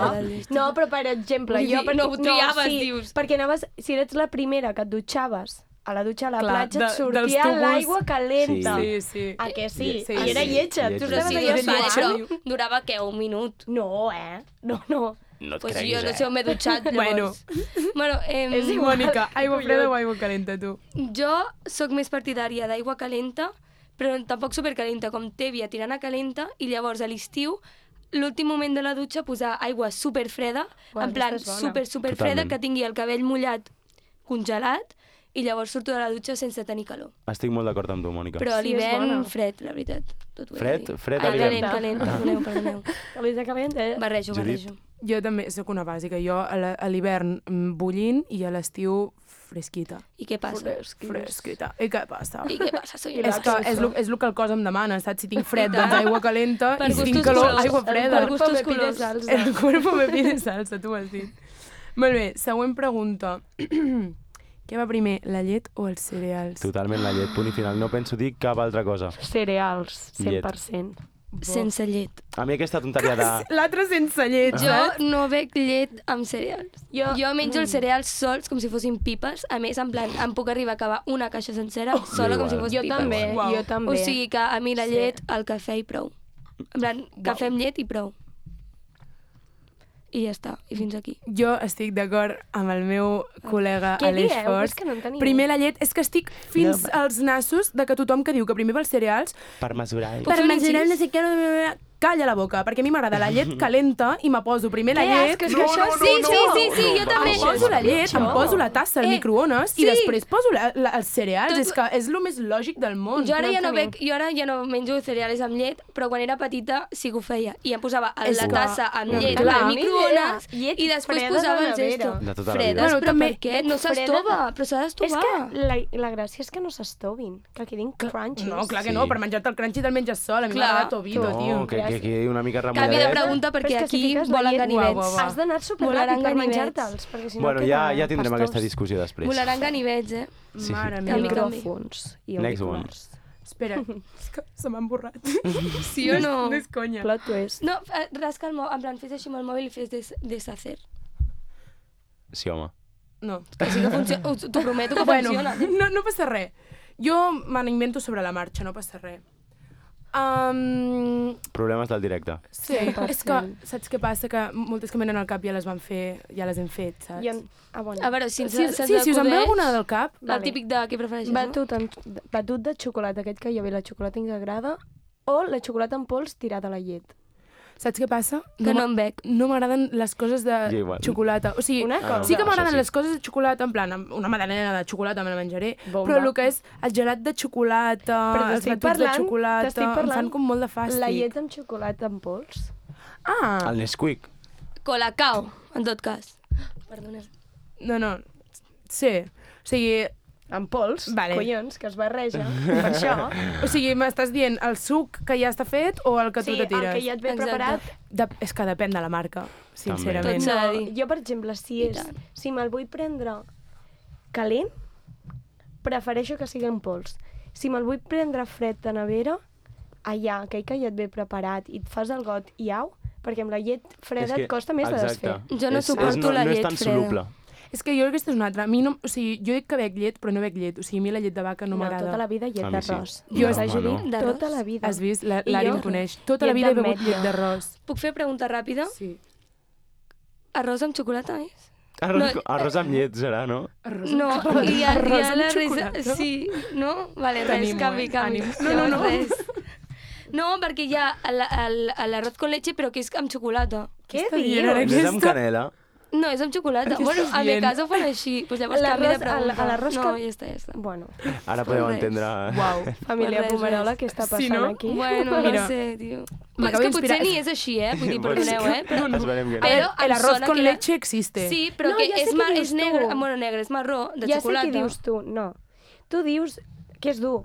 Speaker 4: No, però per exemple,
Speaker 5: Vull
Speaker 4: jo...
Speaker 5: dir, no ho triaves,
Speaker 4: sí,
Speaker 5: dius.
Speaker 4: Perquè anaves, si eres la primera que et dutxaves a la dutxa a la
Speaker 2: Clar,
Speaker 4: platja,
Speaker 2: de-
Speaker 4: et
Speaker 2: dels
Speaker 4: sortia
Speaker 2: tubos.
Speaker 4: l'aigua calenta.
Speaker 2: Sí, sí.
Speaker 4: A que sí?
Speaker 2: Sí,
Speaker 4: I era
Speaker 2: sí.
Speaker 4: lletja.
Speaker 3: Lletja.
Speaker 4: Tu
Speaker 5: Però
Speaker 4: estaves
Speaker 5: sí,
Speaker 4: allà
Speaker 5: és vale,
Speaker 4: suant.
Speaker 5: però durava, què, un minut?
Speaker 4: No, eh? No, no.
Speaker 3: No et
Speaker 5: Pues
Speaker 3: creguis,
Speaker 5: jo no
Speaker 3: eh?
Speaker 5: sé on m'he dutxat, llavors. Bueno, em,
Speaker 4: És igual.
Speaker 2: Mònica, aigua
Speaker 4: Collons.
Speaker 2: freda o aigua calenta, tu?
Speaker 5: jo sóc més partidària d'aigua calenta, però tampoc supercalenta, com tèbia, tirant a calenta, i llavors a l'estiu, l'últim moment de la dutxa, posar aigua superfreda,
Speaker 4: Uau,
Speaker 5: en plan
Speaker 4: aquesta és bona.
Speaker 5: super, superfreda,
Speaker 3: Totalment.
Speaker 5: que tingui el cabell mullat, congelat, i llavors surto de la dutxa sense tenir calor.
Speaker 3: Estic molt d'acord amb tu, Mònica.
Speaker 5: Però a
Speaker 4: Sí, és
Speaker 5: l'hivern,
Speaker 4: bona.
Speaker 5: fred, la veritat. Tot ho he de
Speaker 3: Fred?
Speaker 5: dir.
Speaker 3: Fred a
Speaker 5: Ah,
Speaker 3: l'hivern.
Speaker 5: calent, calent, perdoneu, perdoneu.
Speaker 4: Calenta, calenta, eh?
Speaker 5: Barrejo,
Speaker 3: Judit.
Speaker 5: barrejo.
Speaker 2: Jo també sóc una bàsica. Jo a la- a l'hivern mm, bullint i a l'estiu fresquita.
Speaker 5: I què passa?
Speaker 2: Fresquita. I què passa?
Speaker 5: I què passa? Soy
Speaker 2: És que és el, és el que el cos em demana, saps? Si tinc fred, doncs aigua calenta,
Speaker 5: Per
Speaker 2: i si tinc
Speaker 5: gustos
Speaker 2: calor,
Speaker 5: colors.
Speaker 2: aigua freda.
Speaker 5: Per gustos
Speaker 4: me pide
Speaker 5: colors.
Speaker 4: salsa.
Speaker 2: El cuerpo me pide salsa, tu ho has dit. Molt bé, següent pregunta. Què va primer, la llet o els cereals?
Speaker 3: Totalment la llet, punt i final. No penso dir cap altra cosa.
Speaker 4: Cereals, cent
Speaker 3: Llet.
Speaker 4: per cent.
Speaker 5: Sense llet.
Speaker 3: A mi aquesta tonteria de...
Speaker 2: L'altre sense llet,
Speaker 5: Jo
Speaker 2: saps?
Speaker 5: no bec llet amb cereals.
Speaker 4: Jo-
Speaker 5: Jo menjo els cereals sols com si fossin pipes. A més, en plan, em puc arribar a acabar una caixa sencera sola com si
Speaker 3: igual.
Speaker 5: fos
Speaker 4: Jo
Speaker 5: pipes.
Speaker 4: també,
Speaker 2: Uau.
Speaker 4: jo també.
Speaker 5: O sigui que a mi la
Speaker 4: Sí.
Speaker 5: llet, el cafè i prou. En plan, cafè amb llet i prou. I ja està, i fins aquí.
Speaker 2: Jo estic d'acord amb el meu col·lega
Speaker 4: Què
Speaker 2: Aleix
Speaker 4: dieu?
Speaker 2: Fors.
Speaker 4: És que no en teniu.
Speaker 2: Primer la llet, és que estic fins
Speaker 3: No,
Speaker 2: als nassos de que tothom que diu que primer va els cereals,
Speaker 3: Per mesurar...
Speaker 5: Puc
Speaker 2: per
Speaker 5: fer un
Speaker 2: menjar
Speaker 5: incís?
Speaker 2: no sé què, no, no, no, calla la boca, perquè a mi m'agrada la llet calenta i me poso primer la
Speaker 4: Què
Speaker 2: llet...
Speaker 4: asco, és que això...
Speaker 5: Sí, sí, sí, sí, jo també.
Speaker 2: Em poso la llet, em poso la tassa al
Speaker 5: Eh,
Speaker 2: microones i
Speaker 5: sí.
Speaker 2: després poso la, la, els cereals.
Speaker 5: Tot-
Speaker 2: És que és el més lògic del món.
Speaker 5: Jo ara,
Speaker 4: No
Speaker 5: ja no
Speaker 4: tenim.
Speaker 5: bec, jo ara ja no menjo cereals amb llet, però quan era petita sí que ho feia. I em posava a
Speaker 2: És
Speaker 5: la
Speaker 2: que-
Speaker 5: tassa amb
Speaker 2: no,
Speaker 5: llet
Speaker 2: clar.
Speaker 5: al microones
Speaker 4: Ni idea. Llet
Speaker 5: i després
Speaker 4: freda
Speaker 5: posava
Speaker 4: de
Speaker 5: el
Speaker 4: nevera.
Speaker 5: gesto.
Speaker 3: De tota la
Speaker 5: Fredes,
Speaker 3: vida.
Speaker 2: Bueno,
Speaker 5: però
Speaker 2: també-
Speaker 5: per què? No
Speaker 4: Freda-
Speaker 5: s'estova, però s'ha
Speaker 4: És
Speaker 5: d'estovar.
Speaker 4: que la, la gràcia és que no s'estovin, que quedin crunchies.
Speaker 2: No, clar que
Speaker 3: Sí.
Speaker 2: no, per menjar-te el crunchy te'l menges sol. A mi
Speaker 5: Clar.
Speaker 2: m'agrada tobito,
Speaker 3: No,
Speaker 2: tio.
Speaker 3: que, que quedi una mica
Speaker 5: Canvi de
Speaker 3: remulladet.
Speaker 5: pregunta
Speaker 4: Però
Speaker 5: perquè
Speaker 4: és que si
Speaker 5: aquí
Speaker 4: fiques la
Speaker 5: volen
Speaker 4: llet-
Speaker 2: Uau,
Speaker 5: ganivets.
Speaker 2: uau, uau.
Speaker 4: Has d'anar
Speaker 5: Volaran
Speaker 4: superràpid per
Speaker 5: ganivets.
Speaker 4: menjar-te'ls, perquè si no
Speaker 3: Bueno, ja,
Speaker 4: queda
Speaker 3: ja tindrem
Speaker 4: pastós.
Speaker 3: aquesta discussió després.
Speaker 5: Volaran ganivets, eh?
Speaker 3: Sí.
Speaker 2: Mare
Speaker 4: I
Speaker 2: meva.
Speaker 4: micròfons i
Speaker 3: Next
Speaker 4: auriculars.
Speaker 2: Espera, és que se m'han borrat.
Speaker 5: Sí o no?
Speaker 2: No és conya.
Speaker 4: Plot twist.
Speaker 5: No, eh, rasca el mòbil, en plan, fes així amb el mòbil i fes des deshacer.
Speaker 3: Sí, home.
Speaker 2: No.
Speaker 5: Que sí que funciona. T'ho prometo que
Speaker 2: Bueno,
Speaker 5: funciona.
Speaker 2: no, no passa res. Jo me n'invento sobre la marxa, no passa res. Um,
Speaker 3: Problemes del directe.
Speaker 2: sí,
Speaker 4: cent per
Speaker 2: és que,
Speaker 4: cent.
Speaker 2: saps què passa? Que moltes que m'han al cap ja les van fer, ja les hem fet, saps?
Speaker 4: I en... Ah, bueno.
Speaker 5: A veure, si ens,
Speaker 2: Sí,
Speaker 5: se'ns
Speaker 2: sí, si us en ve
Speaker 5: acudeix,
Speaker 2: alguna del cap,
Speaker 5: El
Speaker 4: Vale.
Speaker 5: típic de què prefereixes, no?
Speaker 4: Batut, en... Batut de xocolata, aquest que hi havia la xocolata integrada, o la xocolata en pols tirada a la llet.
Speaker 2: saps què passa?
Speaker 5: Que no
Speaker 2: m'a-
Speaker 5: em bec.
Speaker 2: no m'agraden les coses de
Speaker 3: Jo igual.
Speaker 2: xocolata. O sigui,
Speaker 4: Una cosa.
Speaker 2: sí que
Speaker 3: Això
Speaker 2: m'agraden
Speaker 3: sí.
Speaker 2: les coses de xocolata, en plan, una magdalena de xocolata me la menjaré,
Speaker 4: Bomba.
Speaker 2: però el que és el gelat de xocolata,
Speaker 4: Però
Speaker 2: els
Speaker 4: t'estic
Speaker 2: batuts de
Speaker 4: parlant-
Speaker 2: xocolata,
Speaker 4: t'estic
Speaker 2: em
Speaker 4: parlant
Speaker 2: fan com molt de fàstic.
Speaker 4: La llet amb xocolata en pols.
Speaker 2: Ah,
Speaker 3: El Nesquik.
Speaker 5: Colacao, en tot cas. Perdoneu.
Speaker 2: no, no, sí. O sigui,
Speaker 4: En pols,
Speaker 2: Vale.
Speaker 4: collons, que es barreja. Per això...
Speaker 2: o sigui m'estàs dient el suc que ja està fet o el que
Speaker 4: Sí,
Speaker 2: tu te
Speaker 4: el
Speaker 2: tires?
Speaker 4: que ja et ve
Speaker 5: Exacte.
Speaker 4: preparat.
Speaker 2: De, és que depèn de la marca, sincerament.
Speaker 5: Tot s'ha de
Speaker 4: No,
Speaker 5: dir.
Speaker 4: jo, per exemple, si,
Speaker 5: I
Speaker 4: és,
Speaker 5: tant.
Speaker 4: si me'l vull prendre calent, prefereixo que sigui en pols. Si me'l vull prendre fred de nevera, allà, aquell que ja et ve preparat i et fas el got i au, perquè amb la llet freda
Speaker 3: És que-
Speaker 4: et costa més de
Speaker 3: exacte.
Speaker 4: desfer.
Speaker 5: Jo no
Speaker 3: És-
Speaker 5: suporto
Speaker 3: és, no,
Speaker 5: la
Speaker 3: no
Speaker 5: llet
Speaker 3: és tan
Speaker 5: freda.
Speaker 3: soluble.
Speaker 2: És que jo aquesta és una altra. A mi no, o sigui, jo dic que bec llet, però no bec llet. O sigui, a mi la llet de vaca no,
Speaker 4: No,
Speaker 2: m'agrada.
Speaker 4: tota la vida llet
Speaker 3: A mi sí.
Speaker 4: d'arròs.
Speaker 2: Jo-
Speaker 4: Jo,
Speaker 3: Home,
Speaker 4: Judit,
Speaker 3: no.
Speaker 5: D'arròs?
Speaker 4: tota la vida.
Speaker 2: Has vist? La-
Speaker 4: I
Speaker 2: L'Ari
Speaker 4: jo?
Speaker 2: em coneix. Tota la
Speaker 4: Llet
Speaker 2: vida he begut
Speaker 4: d'ametlla.
Speaker 2: llet d'arròs.
Speaker 5: Puc fer pregunta ràpida?
Speaker 2: Sí.
Speaker 5: Arròs amb xocolata, és?
Speaker 3: Arròs,
Speaker 5: No,
Speaker 3: arròs amb llet serà, no?
Speaker 2: Arròs
Speaker 5: No, i ha,
Speaker 2: arròs
Speaker 5: hi ha
Speaker 2: amb
Speaker 5: la risa...
Speaker 2: xocolata?
Speaker 5: Sí, no? Vale, res,
Speaker 2: T'animo,
Speaker 5: canvi,
Speaker 2: eh?
Speaker 5: canvi.
Speaker 2: Ànim. No, no,
Speaker 5: Llavors,
Speaker 2: no.
Speaker 5: Res. No, perquè hi ha el- el- l'arròs con leche, però que és amb xocolata.
Speaker 4: Què
Speaker 2: Està dient
Speaker 4: dius?
Speaker 2: ara?
Speaker 3: No és amb
Speaker 2: Aquesta-
Speaker 3: canela.
Speaker 5: No, és amb xocolata.
Speaker 2: Què
Speaker 5: Bueno,
Speaker 2: estàs
Speaker 5: a mi
Speaker 2: dient?
Speaker 5: casa ho fan així. Pues llavors canvi de
Speaker 4: L'arròs-
Speaker 5: pregunta.
Speaker 4: a l'arròs
Speaker 5: no,
Speaker 4: que-
Speaker 5: ja està, ja està.
Speaker 4: Bueno,
Speaker 3: Ara podeu
Speaker 5: res.
Speaker 3: entendre...
Speaker 2: Uau.
Speaker 4: família
Speaker 5: Res,
Speaker 4: Pomerola,
Speaker 5: res.
Speaker 4: què està
Speaker 2: Sí,
Speaker 4: passant
Speaker 2: no?
Speaker 4: aquí?
Speaker 5: Bueno,
Speaker 2: Mira,
Speaker 5: no sé, tio.
Speaker 2: m'acabo
Speaker 5: És que potser
Speaker 2: d'inspirar.
Speaker 5: ni és així, eh? Vull dir,
Speaker 3: Pues
Speaker 5: perdoneu, eh? Però,
Speaker 3: Esperem que no.
Speaker 5: Però
Speaker 2: El
Speaker 5: em
Speaker 2: arroz
Speaker 5: sona
Speaker 2: con
Speaker 5: que era-
Speaker 2: leche existe.
Speaker 5: Sí, però
Speaker 4: No,
Speaker 5: que
Speaker 4: ja sé
Speaker 5: és,
Speaker 4: què
Speaker 5: mar,
Speaker 4: dius
Speaker 5: és negre,
Speaker 4: tu.
Speaker 5: bueno, negre, és marró, de
Speaker 4: ja
Speaker 5: xocolata.
Speaker 4: sé què dius tu, no. Tu dius que és dur.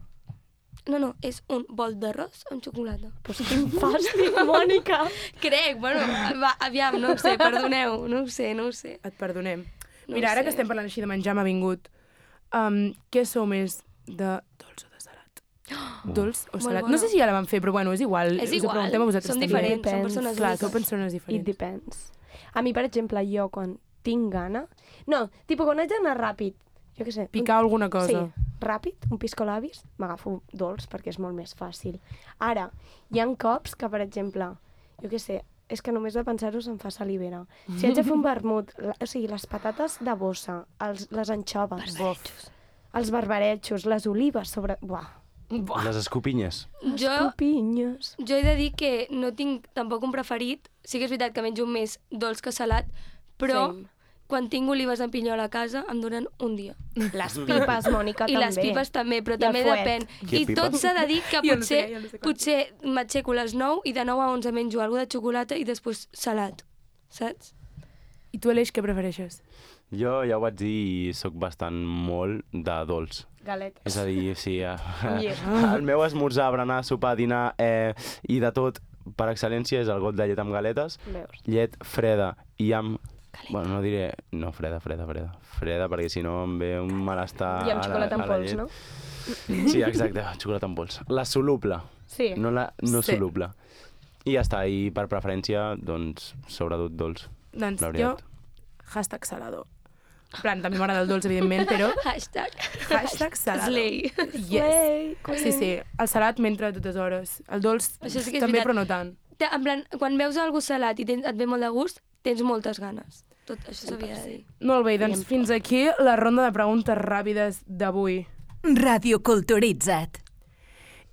Speaker 5: No, no, és un bol d'arròs amb xocolata.
Speaker 4: Pues quin fàstic, Mònica.
Speaker 5: Crec, bueno, va, aviam, no ho sé, perdoneu, no ho sé, no ho sé.
Speaker 2: Et perdonem.
Speaker 5: No
Speaker 2: Mira,
Speaker 5: ho
Speaker 2: ara
Speaker 5: sé.
Speaker 2: que estem parlant així de menjar, m'ha vingut. Um, què sou més, de dolç o de salat? Dolç o
Speaker 5: Molt
Speaker 2: salat?
Speaker 5: bona.
Speaker 2: No sé si ja la van fer, però bueno, és igual.
Speaker 5: És
Speaker 2: Us ho
Speaker 5: igual,
Speaker 2: preguntem a vosaltres
Speaker 5: som
Speaker 2: també.
Speaker 5: diferents, som
Speaker 4: Depèn.
Speaker 5: persones
Speaker 2: Clar,
Speaker 5: úniques.
Speaker 2: sou persones
Speaker 4: It
Speaker 2: diferents.
Speaker 4: depends. A mi, per exemple, jo quan tinc gana... No, tipus, quan haig d'anar ràpid, jo què sé...
Speaker 2: Picar alguna cosa.
Speaker 4: Sí, ràpid, un piscolabis, m'agafo dolç perquè és molt més fàcil. Ara, hi ha cops que, per exemple, jo què sé, és que només de pensar-ho se'm fa salivera. Si haig de fer un vermut, la, o sigui, les patates de bossa, els, les anxoves,
Speaker 2: Bof.
Speaker 4: els barbaretxos, les olives sobre... Buah,
Speaker 3: Les escopinyes.
Speaker 5: Jo,
Speaker 4: copinyes.
Speaker 5: jo he de dir que no tinc tampoc un preferit. Sí que és veritat que menjo més dolç que salat, però
Speaker 4: Same.
Speaker 5: quan tinc olives en pinyol a casa em duren un dia.
Speaker 4: Les pipes, Mònica,
Speaker 5: I
Speaker 4: també.
Speaker 5: les pipes també, però
Speaker 4: I el
Speaker 5: també
Speaker 4: fuet.
Speaker 5: depèn.
Speaker 3: Què,
Speaker 5: I tot
Speaker 3: pipes?
Speaker 5: s'ha de dir que
Speaker 2: Jo no sé,
Speaker 5: potser,
Speaker 2: jo no sé com.
Speaker 5: potser m'aixeco a les nou i de nou a onze menjo alguna de xocolata i després salat, saps?
Speaker 2: I tu, Aleix, què prefereixes?
Speaker 3: Jo ja ho vaig dir i sóc bastant molt de dolç.
Speaker 4: Galetes.
Speaker 3: És a dir, sí, eh,
Speaker 4: Yeah.
Speaker 3: el meu esmorzar, berenar, sopar, dinar eh, i de tot, per excel·lència, és el got de llet amb galetes,
Speaker 4: Veus?
Speaker 3: llet freda i amb... Bueno, no diré... No, freda, freda, freda. Freda, perquè si no em ve un malestar
Speaker 4: I amb
Speaker 3: a la-
Speaker 4: xocolata
Speaker 3: a
Speaker 4: en
Speaker 3: la
Speaker 4: pols,
Speaker 3: llet.
Speaker 4: no?
Speaker 3: Sí, exacte, xocolata en pols. La soluble,
Speaker 4: Sí.
Speaker 3: no la no
Speaker 2: Sí.
Speaker 3: soluble. I ja està, i per preferència, doncs, sobretot dolç.
Speaker 2: Doncs
Speaker 3: La
Speaker 2: jo,
Speaker 3: veritat.
Speaker 2: hashtag salado. En plan, també m'agrada el dolç, evidentment, però
Speaker 5: Hashtag.
Speaker 2: hashtag salado.
Speaker 5: Slay.
Speaker 2: Yes.
Speaker 4: Slay.
Speaker 2: Sí, sí, el salat mentre a totes hores. El dolç
Speaker 5: Això sí que és
Speaker 2: també,
Speaker 5: veritat.
Speaker 2: però no tant.
Speaker 5: Te- En plan, quan veus algú salat i tens, et ve molt de gust, tens moltes ganes. Tot això s'havia de dir.
Speaker 2: Molt bé, doncs fins aquí la ronda de preguntes ràpides d'avui.
Speaker 1: Radio Culturitza't.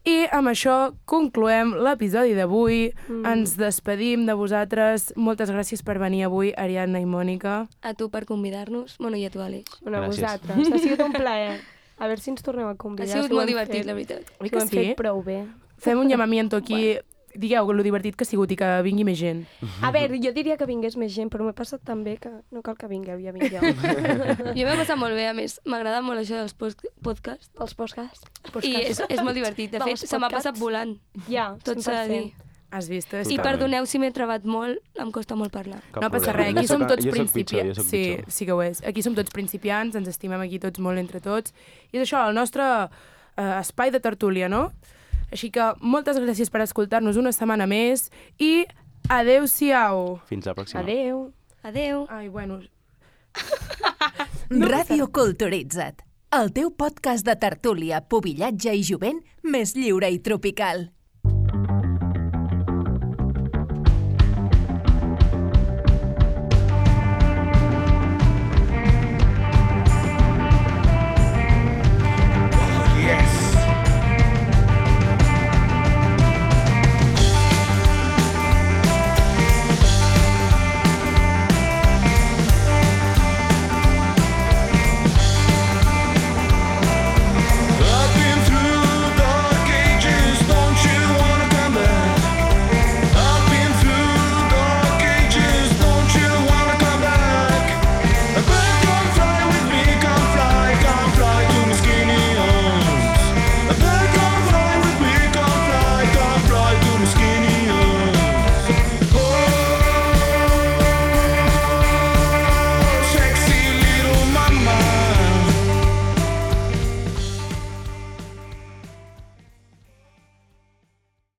Speaker 2: I amb això concloem l'episodi d'avui.
Speaker 4: Mm.
Speaker 2: Ens despedim de vosaltres. Moltes gràcies per venir avui, Ariadna i Mònica.
Speaker 5: A tu per convidar-nos. Bueno, i a tu, Àlex.
Speaker 4: Bueno, a
Speaker 3: Gràcies.
Speaker 4: vosaltres. Ha sigut un plaer. A veure si ens tornem a
Speaker 5: Ha
Speaker 4: convidar.
Speaker 5: sigut
Speaker 4: si ho
Speaker 5: molt
Speaker 4: hem
Speaker 5: divertit,
Speaker 4: fet.
Speaker 5: la veritat.
Speaker 2: Oi
Speaker 4: Si
Speaker 2: que
Speaker 4: ho hem
Speaker 2: sí?
Speaker 4: fet prou bé.
Speaker 2: Fem un llamamiento aquí. Digueu lo divertit que ha sigut i que vingui més gent.
Speaker 4: A veure, jo diria que vingués més gent, però m'he passat tan bé que no cal que vingueu, ja vinc jo.
Speaker 5: Jo m'he passat molt bé, a més, m'agrada molt això dels post- podcasts.
Speaker 4: Els podcasts.
Speaker 5: I és, és molt divertit. De fet,
Speaker 4: Dels
Speaker 5: se m'ha
Speaker 4: podcasts.
Speaker 5: passat volant.
Speaker 4: Ja,
Speaker 5: Tot s'ha de dir.
Speaker 2: Has vist? És
Speaker 5: I
Speaker 2: que-
Speaker 5: perdoneu si m'he trebat molt, em costa molt parlar.
Speaker 3: Cap
Speaker 2: No passa
Speaker 3: problema.
Speaker 2: res, aquí
Speaker 3: Jo
Speaker 2: som
Speaker 3: soc-
Speaker 2: tots
Speaker 3: jo soc pitjor,
Speaker 2: principiants.
Speaker 3: jo soc
Speaker 2: Sí,
Speaker 3: pitjor.
Speaker 2: sí que ho és. Aquí som tots principiants, ens estimem aquí tots molt entre tots. I és això, el nostre eh, espai de tertúlia, no? Així que moltes gràcies per escoltar-nos una setmana més i adeu-siau.
Speaker 3: Fins la pròxima.
Speaker 4: Adeu.
Speaker 5: Adeu.
Speaker 2: Ai, bueno,
Speaker 1: Ràdio Culturitza't, el teu podcast de tertúlia, pubillatge i jovent més lliure i tropical.